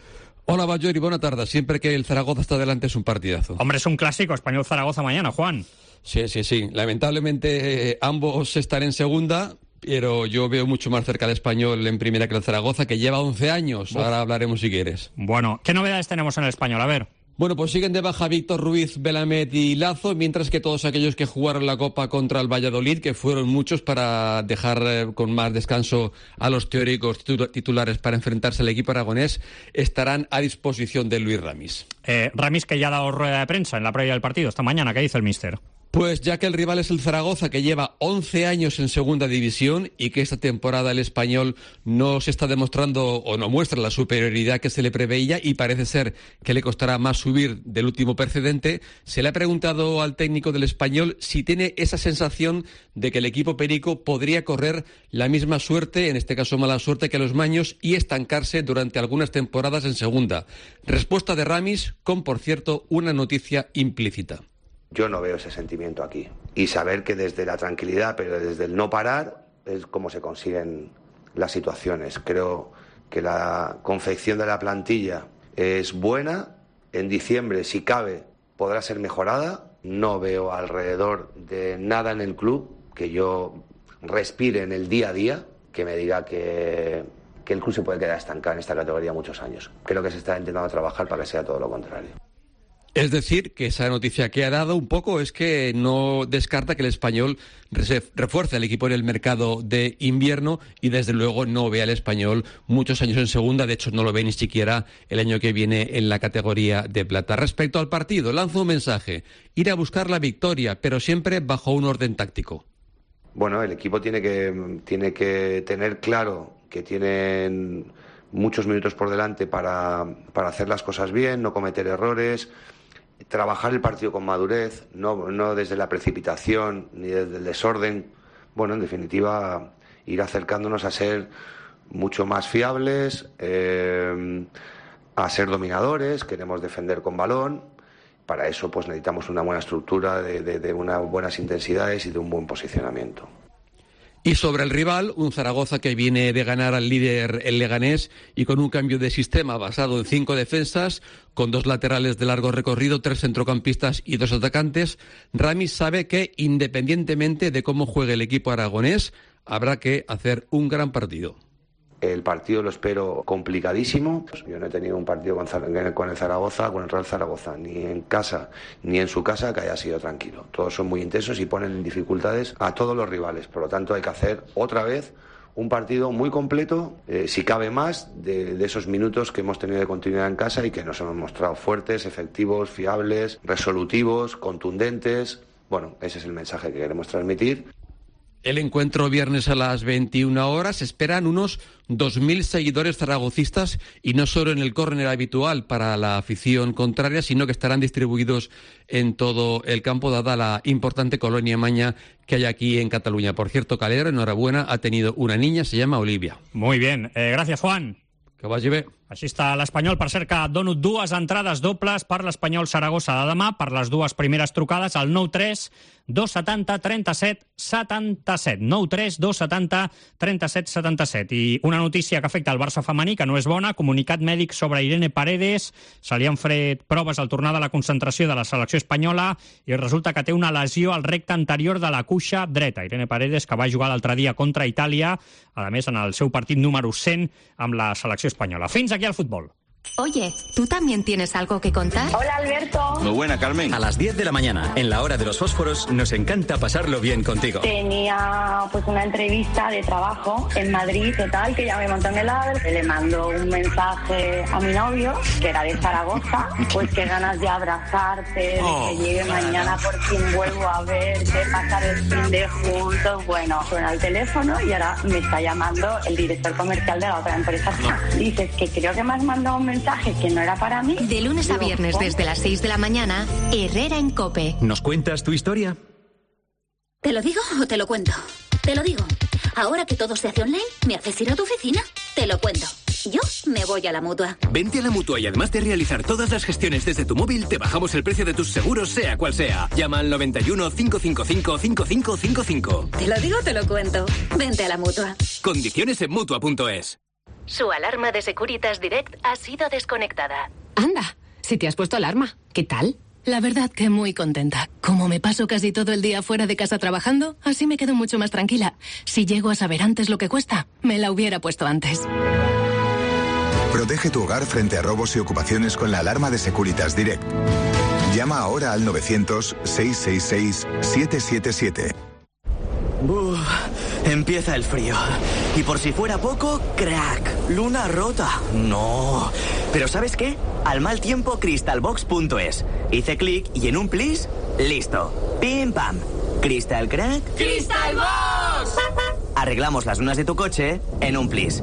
Hola, Batllori, buena tarde. Siempre que el Zaragoza está delante es un partidazo. Hombre, es un clásico, Español-Zaragoza mañana, Juan. Sí, sí, sí. Lamentablemente eh, ambos están en segunda, pero yo veo mucho más cerca al Español en primera que el Zaragoza, que lleva once años. Uf. Ahora hablaremos si quieres. Bueno, ¿qué novedades tenemos en el Español? A ver. Bueno, pues siguen de baja Víctor Ruiz, Belamed y Lazo, mientras que todos aquellos que jugaron la Copa contra el Valladolid, que fueron muchos para dejar eh, con más descanso a los teóricos titulares para enfrentarse al equipo aragonés, estarán a disposición de Luis Ramis. Eh, Ramis, que ya ha dado rueda de prensa en la previa del partido esta mañana, ¿qué dice el míster? Pues ya que el rival es el Zaragoza, que lleva once años en segunda división y que esta temporada el Español no se está demostrando o no muestra la superioridad que se le preveía y parece ser que le costará más subir del último precedente, se le ha preguntado al técnico del Español si tiene esa sensación de que el equipo perico podría correr la misma suerte, en este caso mala suerte, que los maños y estancarse durante algunas temporadas en segunda. Respuesta de Ramis con, por cierto, una noticia implícita. Yo no veo ese sentimiento aquí. Y saber que desde la tranquilidad, pero desde el no parar, es como se consiguen las situaciones. Creo que la confección de la plantilla es buena. En diciembre, si cabe, podrá ser mejorada. No veo alrededor de nada en el club que yo respire en el día a día que me diga que, que el club se puede quedar estancado en esta categoría muchos años. Creo que se está intentando trabajar para que sea todo lo contrario. Es decir, que esa noticia que ha dado un poco es que no descarta que el Español refuerce al equipo en el mercado de invierno y desde luego no ve al Español muchos años en segunda, de hecho no lo ve ni siquiera el año que viene en la categoría de plata. Respecto al partido, lanzo un mensaje, ir a buscar la victoria, pero siempre bajo un orden táctico. Bueno, el equipo tiene que, tiene que tener claro que tienen muchos minutos por delante para, para hacer las cosas bien, no cometer errores, trabajar el partido con madurez, no, no desde la precipitación ni desde el desorden. Bueno, en definitiva, ir acercándonos a ser mucho más fiables, eh, a ser dominadores, queremos defender con balón. Para eso pues necesitamos una buena estructura, de, de, de unas buenas intensidades y de un buen posicionamiento. Y sobre el rival, un Zaragoza que viene de ganar al líder el Leganés y con un cambio de sistema basado en cinco defensas, con dos laterales de largo recorrido, tres centrocampistas y dos atacantes. Ramis sabe que, independientemente de cómo juegue el equipo aragonés, habrá que hacer un gran partido. El partido lo espero complicadísimo. Yo no he tenido un partido con, con el Zaragoza, con el Real Zaragoza, ni en casa ni en su casa que haya sido tranquilo. Todos son muy intensos y ponen en dificultades a todos los rivales. Por lo tanto, hay que hacer otra vez un partido muy completo, eh, si cabe más, de, de esos minutos que hemos tenido de continuidad en casa y que nos hemos mostrado fuertes, efectivos, fiables, resolutivos, contundentes. Bueno, ese es el mensaje que queremos transmitir. El encuentro viernes a las veintiuna horas. Esperan unos dos mil seguidores zaragocistas y no solo en el córner habitual para la afición contraria, sino que estarán distribuidos en todo el campo, dada la importante colonia maña que hay aquí en Cataluña. Por cierto, Calero, enhorabuena, ha tenido una niña, se llama Olivia. Muy bien, eh, gracias, Juan. Que vagi bé. Així està l'Espanyol. Per cert, que dono dues entrades dobles per l'Espanyol Saragossa de demà, per les dues primeres trucades, al nou tres dos setanta trenta-set setanta-set. nou tres dos setanta trenta-set setanta-set. I una notícia que afecta el Barça femení, que no és bona, comunicat mèdic sobre Irene Paredes. Se li han fet proves al tornar de la concentració de la selecció espanyola i resulta que té una lesió al recte anterior de la cuixa dreta. Irene Paredes, que va jugar l'altre dia contra Itàlia, a més en el seu partit número cent amb la selecció espanyola. Fins aquí al fútbol. Oye, ¿tú también tienes algo que contar? Hola, Alberto. Muy buena, Carmen. A las diez de la mañana, en la hora de los fósforos, nos encanta pasarlo bien contigo. Tenía pues una entrevista de trabajo en Madrid, total, que ya me montó en el AVE. Le mando un mensaje a mi novio, que era de Zaragoza, pues qué ganas de abrazarte, de Oh. que llegue mañana, por fin vuelvo a verte, pasar el fin de juntos. Bueno, suena el teléfono y ahora me está llamando el director comercial de la otra empresa. Dices que creo que me has mandado un mensaje que no era para mí. De lunes a Digo, viernes ¿cómo? desde las seis de la mañana, Herrera en COPE. ¿Nos cuentas tu historia? ¿Te lo digo o te lo cuento? Te lo digo. Ahora que todo se hace online, ¿me haces ir a tu oficina? Te lo cuento. Yo me voy a la Mutua. Vente a la Mutua y además de realizar todas las gestiones desde tu móvil, te bajamos el precio de tus seguros, sea cual sea. Llama al noventa y uno, cinco cinco cinco, cinco cinco cinco cinco. Te lo digo o te lo cuento. Vente a la Mutua. Condiciones en Mutua punto es. Su alarma de Securitas Direct ha sido desconectada. Anda, si te has puesto alarma, ¿qué tal? La verdad que muy contenta. Como me paso casi todo el día fuera de casa trabajando, así me quedo mucho más tranquila. Si llego a saber antes lo que cuesta, me la hubiera puesto antes. Protege tu hogar frente a robos y ocupaciones con la alarma de Securitas Direct. Llama ahora al novecientos, seiscientos sesenta y seis, setecientos setenta y siete. Uf, empieza el frío. Y por si fuera poco, crack, luna rota. No. Pero ¿sabes qué? Al mal tiempo, crystalbox punto es. Hice clic y en un plis, listo. Pim pam. Crystal crack. ¡Crystalbox! Arreglamos las lunas de tu coche en un plis.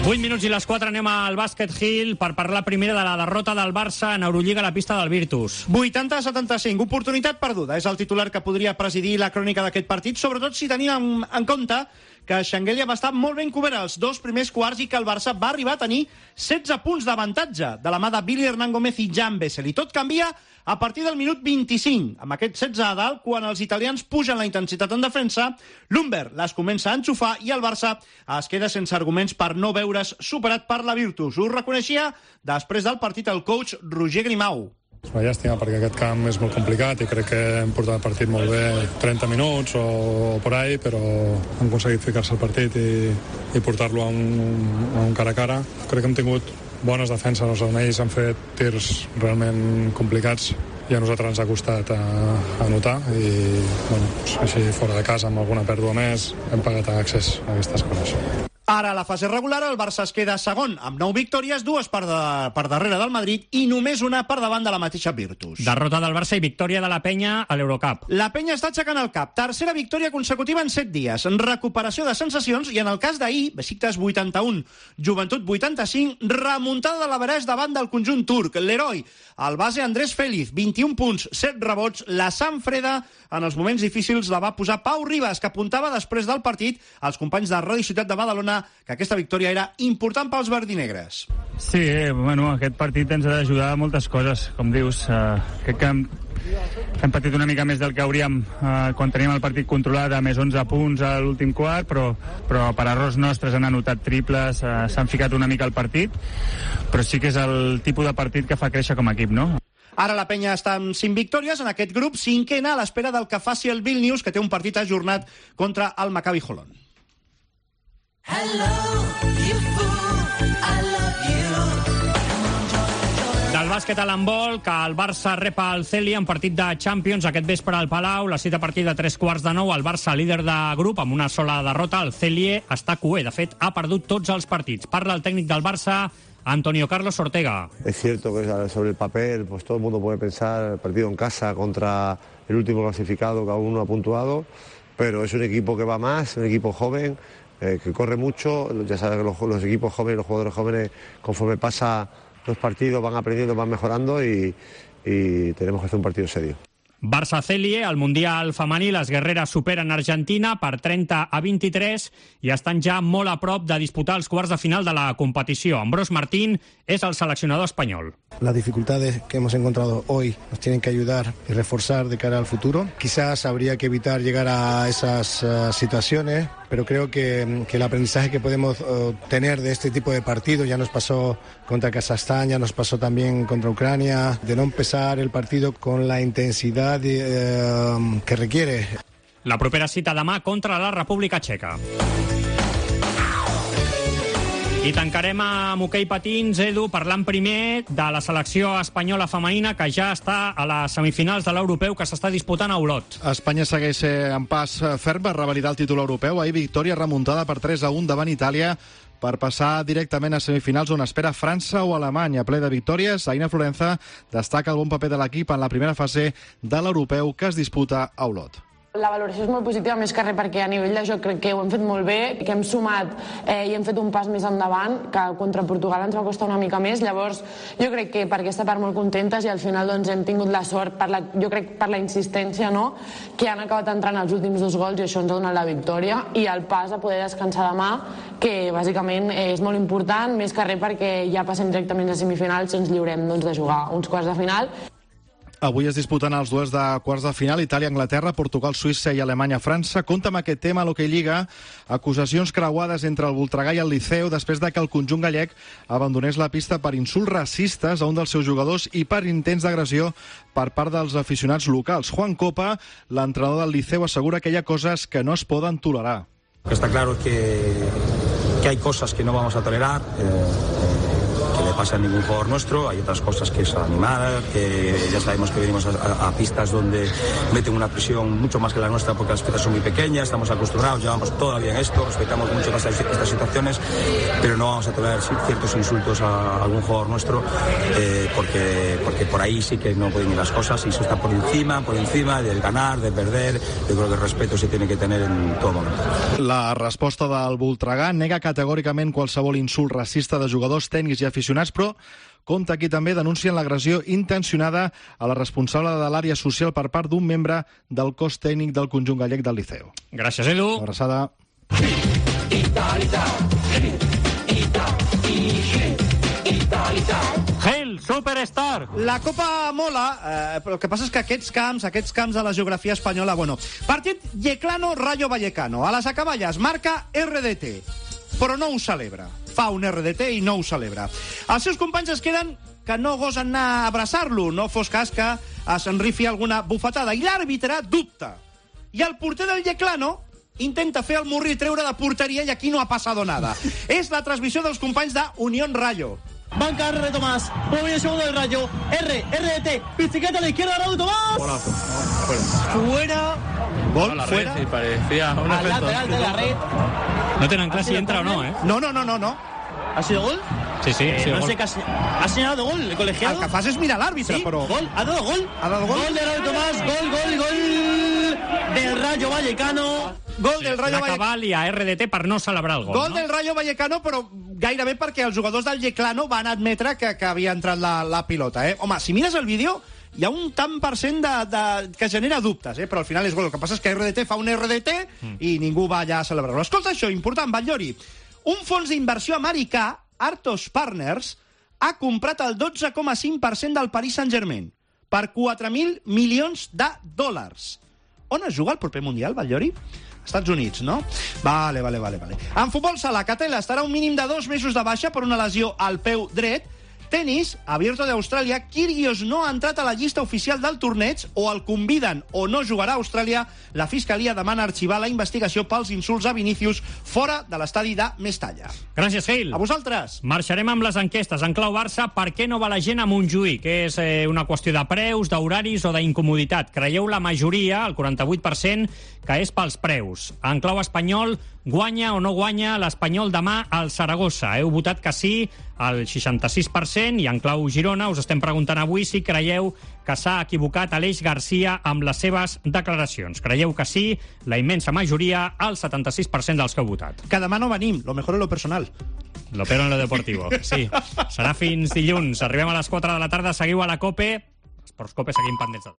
vuit minuts i les quatre anem al Bàsquet Hill per parlar primera de la derrota del Barça en Eurolliga a la pista del Virtus. vuitanta a setanta-cinc, oportunitat perduda. És el titular que podria presidir la crònica d'aquest partit, sobretot si tenim en, en compte que Xanguelia va estar molt ben cobert els dos primers quarts i que el Barça va arribar a tenir setze punts d'avantatge de la mà de Billy Hernán Gómez i Jan Bessel. I tot canvia a partir del minut vint-i-cinc. Amb aquest setze a dalt, quan els italians pugen la intensitat en defensa, l'Humber les comença a enxufar i el Barça es queda sense arguments per no veure's superat per la Virtus. Ho reconeixia després del partit el coach Roger Grimau. És una llàstima perquè aquest camp és molt complicat i crec que hem portat el partit molt bé, trenta minuts o, o por ahí, però hem aconseguit ficar-se al partit i, i portar-lo a un, a un cara a cara. Crec que hem tingut bones defenses, els ells han fet tirs realment complicats i a nosaltres ens ha costat a, a anotar i bueno, així fora de casa amb alguna pèrdua més hem pagat accés a aquestes coses. Ara, a la fase regular, el Barça es queda segon, amb nou victòries, dues per, de, per darrere del Madrid i només una per davant de la mateixa Virtus. Derrota del Barça i victòria de la Penya a l'Eurocup. La Penya està aixecant el cap. Tercera victòria consecutiva en set dies. Recuperació de sensacions i, en el cas d'ahir, Besiktas vuitanta-un, Joventut vuitanta-cinc, remuntada de l'Averès davant del conjunt turc. L'heroi, el base Andrés Félix, vint-i-un punts, set rebots. La Sanfreda, en els moments difícils, la va posar Pau Ribas, que apuntava després del partit als companys de Ràdio Ciutat de Badalona que aquesta victòria era important pels verdinegres. Sí, eh, bueno, aquest partit ens ha d'ajudar a moltes coses, com dius. Eh, crec que hem, hem patit una mica més del que hauríem eh, quan teníem el partit controlat a més onze punts a l'últim quart, però, però per errors nostres han anotat triples, eh, s'han ficat una mica al partit, però sí que és el tipus de partit que fa créixer com a equip, no? Ara la Penya està amb cinc victòries en aquest grup, cinquena a l'espera del que faci el Vilnius, que té un partit ajornat contra el Maccabi Holon. Hello, you fool, I love you. Del bàsquet a l'handbol, que el Barça rep el Celia en partit de Champions aquest vespre al Palau, la cita a partir de tres quarts de nou, el Barça líder de grup amb una sola derrota, el Celia està cué, de fet ha perdut tots els partits. Parla el tècnic del Barça, Antonio Carlos Ortega. Es cierto que sobre el papel pues todo el mundo puede pensar el partido en casa contra el último clasificado que aún no ha puntuado, pero es un equipo que va más, un equipo joven, Eh, que corre mucho. Ya sabes que los, los equipos jóvenes, los jugadores jóvenes, conforme pasa los partidos van aprendiendo, van mejorando y, y tenemos que hacer un partido serio. Barça-Celie, al Mundial femení, les guerreres superen Argentina per trenta a vint-i-tres i estan ja molt a prop de disputar els quarts de final de la competició. Ambrós Martín és el seleccionador espanyol. Las dificultades que hemos encontrado hoy nos tienen que ayudar y reforzar de cara al futuro. Quizás habría que evitar llegar a esas uh, situaciones, pero creo que, que el aprendizaje que podemos uh, tener de este tipo de partidos, ya nos pasó contra Kazajstán, ya nos pasó también contra Ucrania, de no empezar el partido con la intensidad de, uh, que requiere. La propera cita demà contra la República Txeca. I tancarem amb hoquei patins, Edu, parlant primer de la selecció espanyola femenina que ja està a les semifinals de l'europeu que s'està disputant a Olot. Espanya segueix en pas ferm per revalidar el títol europeu. Ahir victòria remuntada per tres a un davant Itàlia per passar directament a semifinals on espera França o Alemanya. Ple de victòries, Aina Florenza destaca el bon paper de l'equip en la primera fase de l'europeu que es disputa a Olot. La valoració és molt positiva, més que res perquè a nivell de joc crec que ho hem fet molt bé, que hem sumat eh, i hem fet un pas més endavant, que contra Portugal ens va costar una mica més. Llavors, jo crec que per aquesta part molt contentes i al final doncs, hem tingut la sort, per la, jo crec per la insistència, no?, que han acabat entrant els últims dos gols i això ens ha donat la victòria, i el pas a poder descansar demà, que bàsicament és molt important, més que res perquè ja passem directament a semifinals i ens lliurem doncs, de jugar uns quarts de final. Avui es disputen els duels de quarts de final, Itàlia-Anglaterra, Portugal-Suïssa i Alemanya-França. Compte amb aquest tema a l'Hockey Lliga, acusacions creuades entre el Voltregà i el Liceu després de que el conjunt gallec abandonés la pista per insults racistes a un dels seus jugadors i per intents d'agressió per part dels aficionats locals. Juan Copa, l'entrenador del Liceu, assegura que hi ha coses que no es poden tolerar. Lo que está claro es que, que hay cosas que no vamos a tolerar, eh, que le pasa a ningún jugador nuestro. Hay otras cosas que es animar, que ya sabemos que venimos a, a, a pistas donde meten una presión mucho más que la nuestra porque las pistas son muy pequeñas, estamos acostumbrados, llevamos todavía en esto, respetamos mucho más estas situaciones, pero no vamos a tolerar ciertos insultos a algún jugador nuestro eh, porque, porque por ahí sí que no pueden ir las cosas y eso está por encima, por encima del ganar, de perder. Yo creo que el respeto se tiene que tener en todo momento. La resposta del Voltregà nega categòricament qualsevol insult racista de jugadors, tècnics i aficionats, però compta aquí també denuncien l'agressió intencionada a la responsable de l'àrea social per part d'un membre del cos tècnic del conjunt gallec del Liceu. Gràcies, Edu. Una abraçada. Hail, Superstar! La Copa mola, eh, però el que passa és que aquests camps, aquests camps de la geografia espanyola, bueno, partit Yeclano-Rayo Vallecano. A les acaballes marca R D T, però no ho celebra. Fa un R D T i no ho celebra. Els seus companys es queden que no gosen anar a abraçar-lo, no fos cas que s'enrifi alguna bufetada. I l'àrbitre dubta. I el porter del Yeclano intenta fer el murri i treure de porteria i aquí no ha passat nada. És la transmissió dels companys de Unión Rayo. Banca R. Tomás, movimiento segundo del Rayo, R, R D T, bicicleta a la izquierda, Raúl Tomás. Hola, fuera. Fuera. Gol, la fuera. Red, sí, parecía un Al efecto. lateral de la red. No tenen clar si entra o no, eh? No, no, no, no, no. ¿Ha sido gol? Sí, sí, ha Eh, sido no gol. sé qué ha, se- ¿ha señalado gol el colegiado. El que fas és mirar l'àrbitre, Sí, però... gol, ha dado gol. Ha dado gol. Gol de Raúl Tomás, gol, gol, gol del Rayo Vallecano. Gol del Rayo La Vallecano. cabal i a R D T per no celebrar el gol, Gol no? del Rayo Vallecano, però gairebé perquè els jugadors del Yeclano van admetre que, que havia entrat la, la pilota. Eh? Home, si mires el vídeo, hi ha un tant per cent de, de, que genera dubtes, eh? Però al final és gol. El que passa és que R D T fa un R D T mm. i ningú va allà a celebrar-lo. Escolta això, important, Batllori. Un fons d'inversió americà, Artos Partners, ha comprat el dotze coma cinc per cent del Paris Saint-Germain per quatre mil milions de dòlars. On es juga el proper Mundial, Batllori? Estats Units, no? Vale, vale, vale, vale. En futbol sala, Catela estarà un mínim de dos mesos de baixa per una lesió al peu dret. Tenis, Abierto d'Austràlia, Kyrgios no ha entrat a la llista oficial del torneig, o el conviden o no jugarà a Austràlia. La Fiscalia demana arxivar la investigació pels insults a Vinícius fora de l'estadi de Mestalla. Gràcies, Gil. A vosaltres. Marxarem amb les enquestes. En clau Barça, per què no va la gent a Montjuïc? És eh, una qüestió de preus, d'horaris o d'incomoditat? Creieu la majoria, el quaranta-vuit per cent, que és pels preus. En clau espanyol, guanya o no guanya l'Espanyol demà al Saragossa? Heu votat que sí, al seixanta-sis per cent, i en clau Girona us estem preguntant avui si creieu que s'ha equivocat Aleix Garcia amb les seves declaracions. Creieu que sí, la immensa majoria, el setanta-sis per cent dels que heu votat. Que demà no venim, lo mejor en lo personal. Lo peor en lo deportivo, sí. Serà fins dilluns. Arribem a les quatre de la tarda, seguiu a la COPE. Esports COPE, seguim pendents.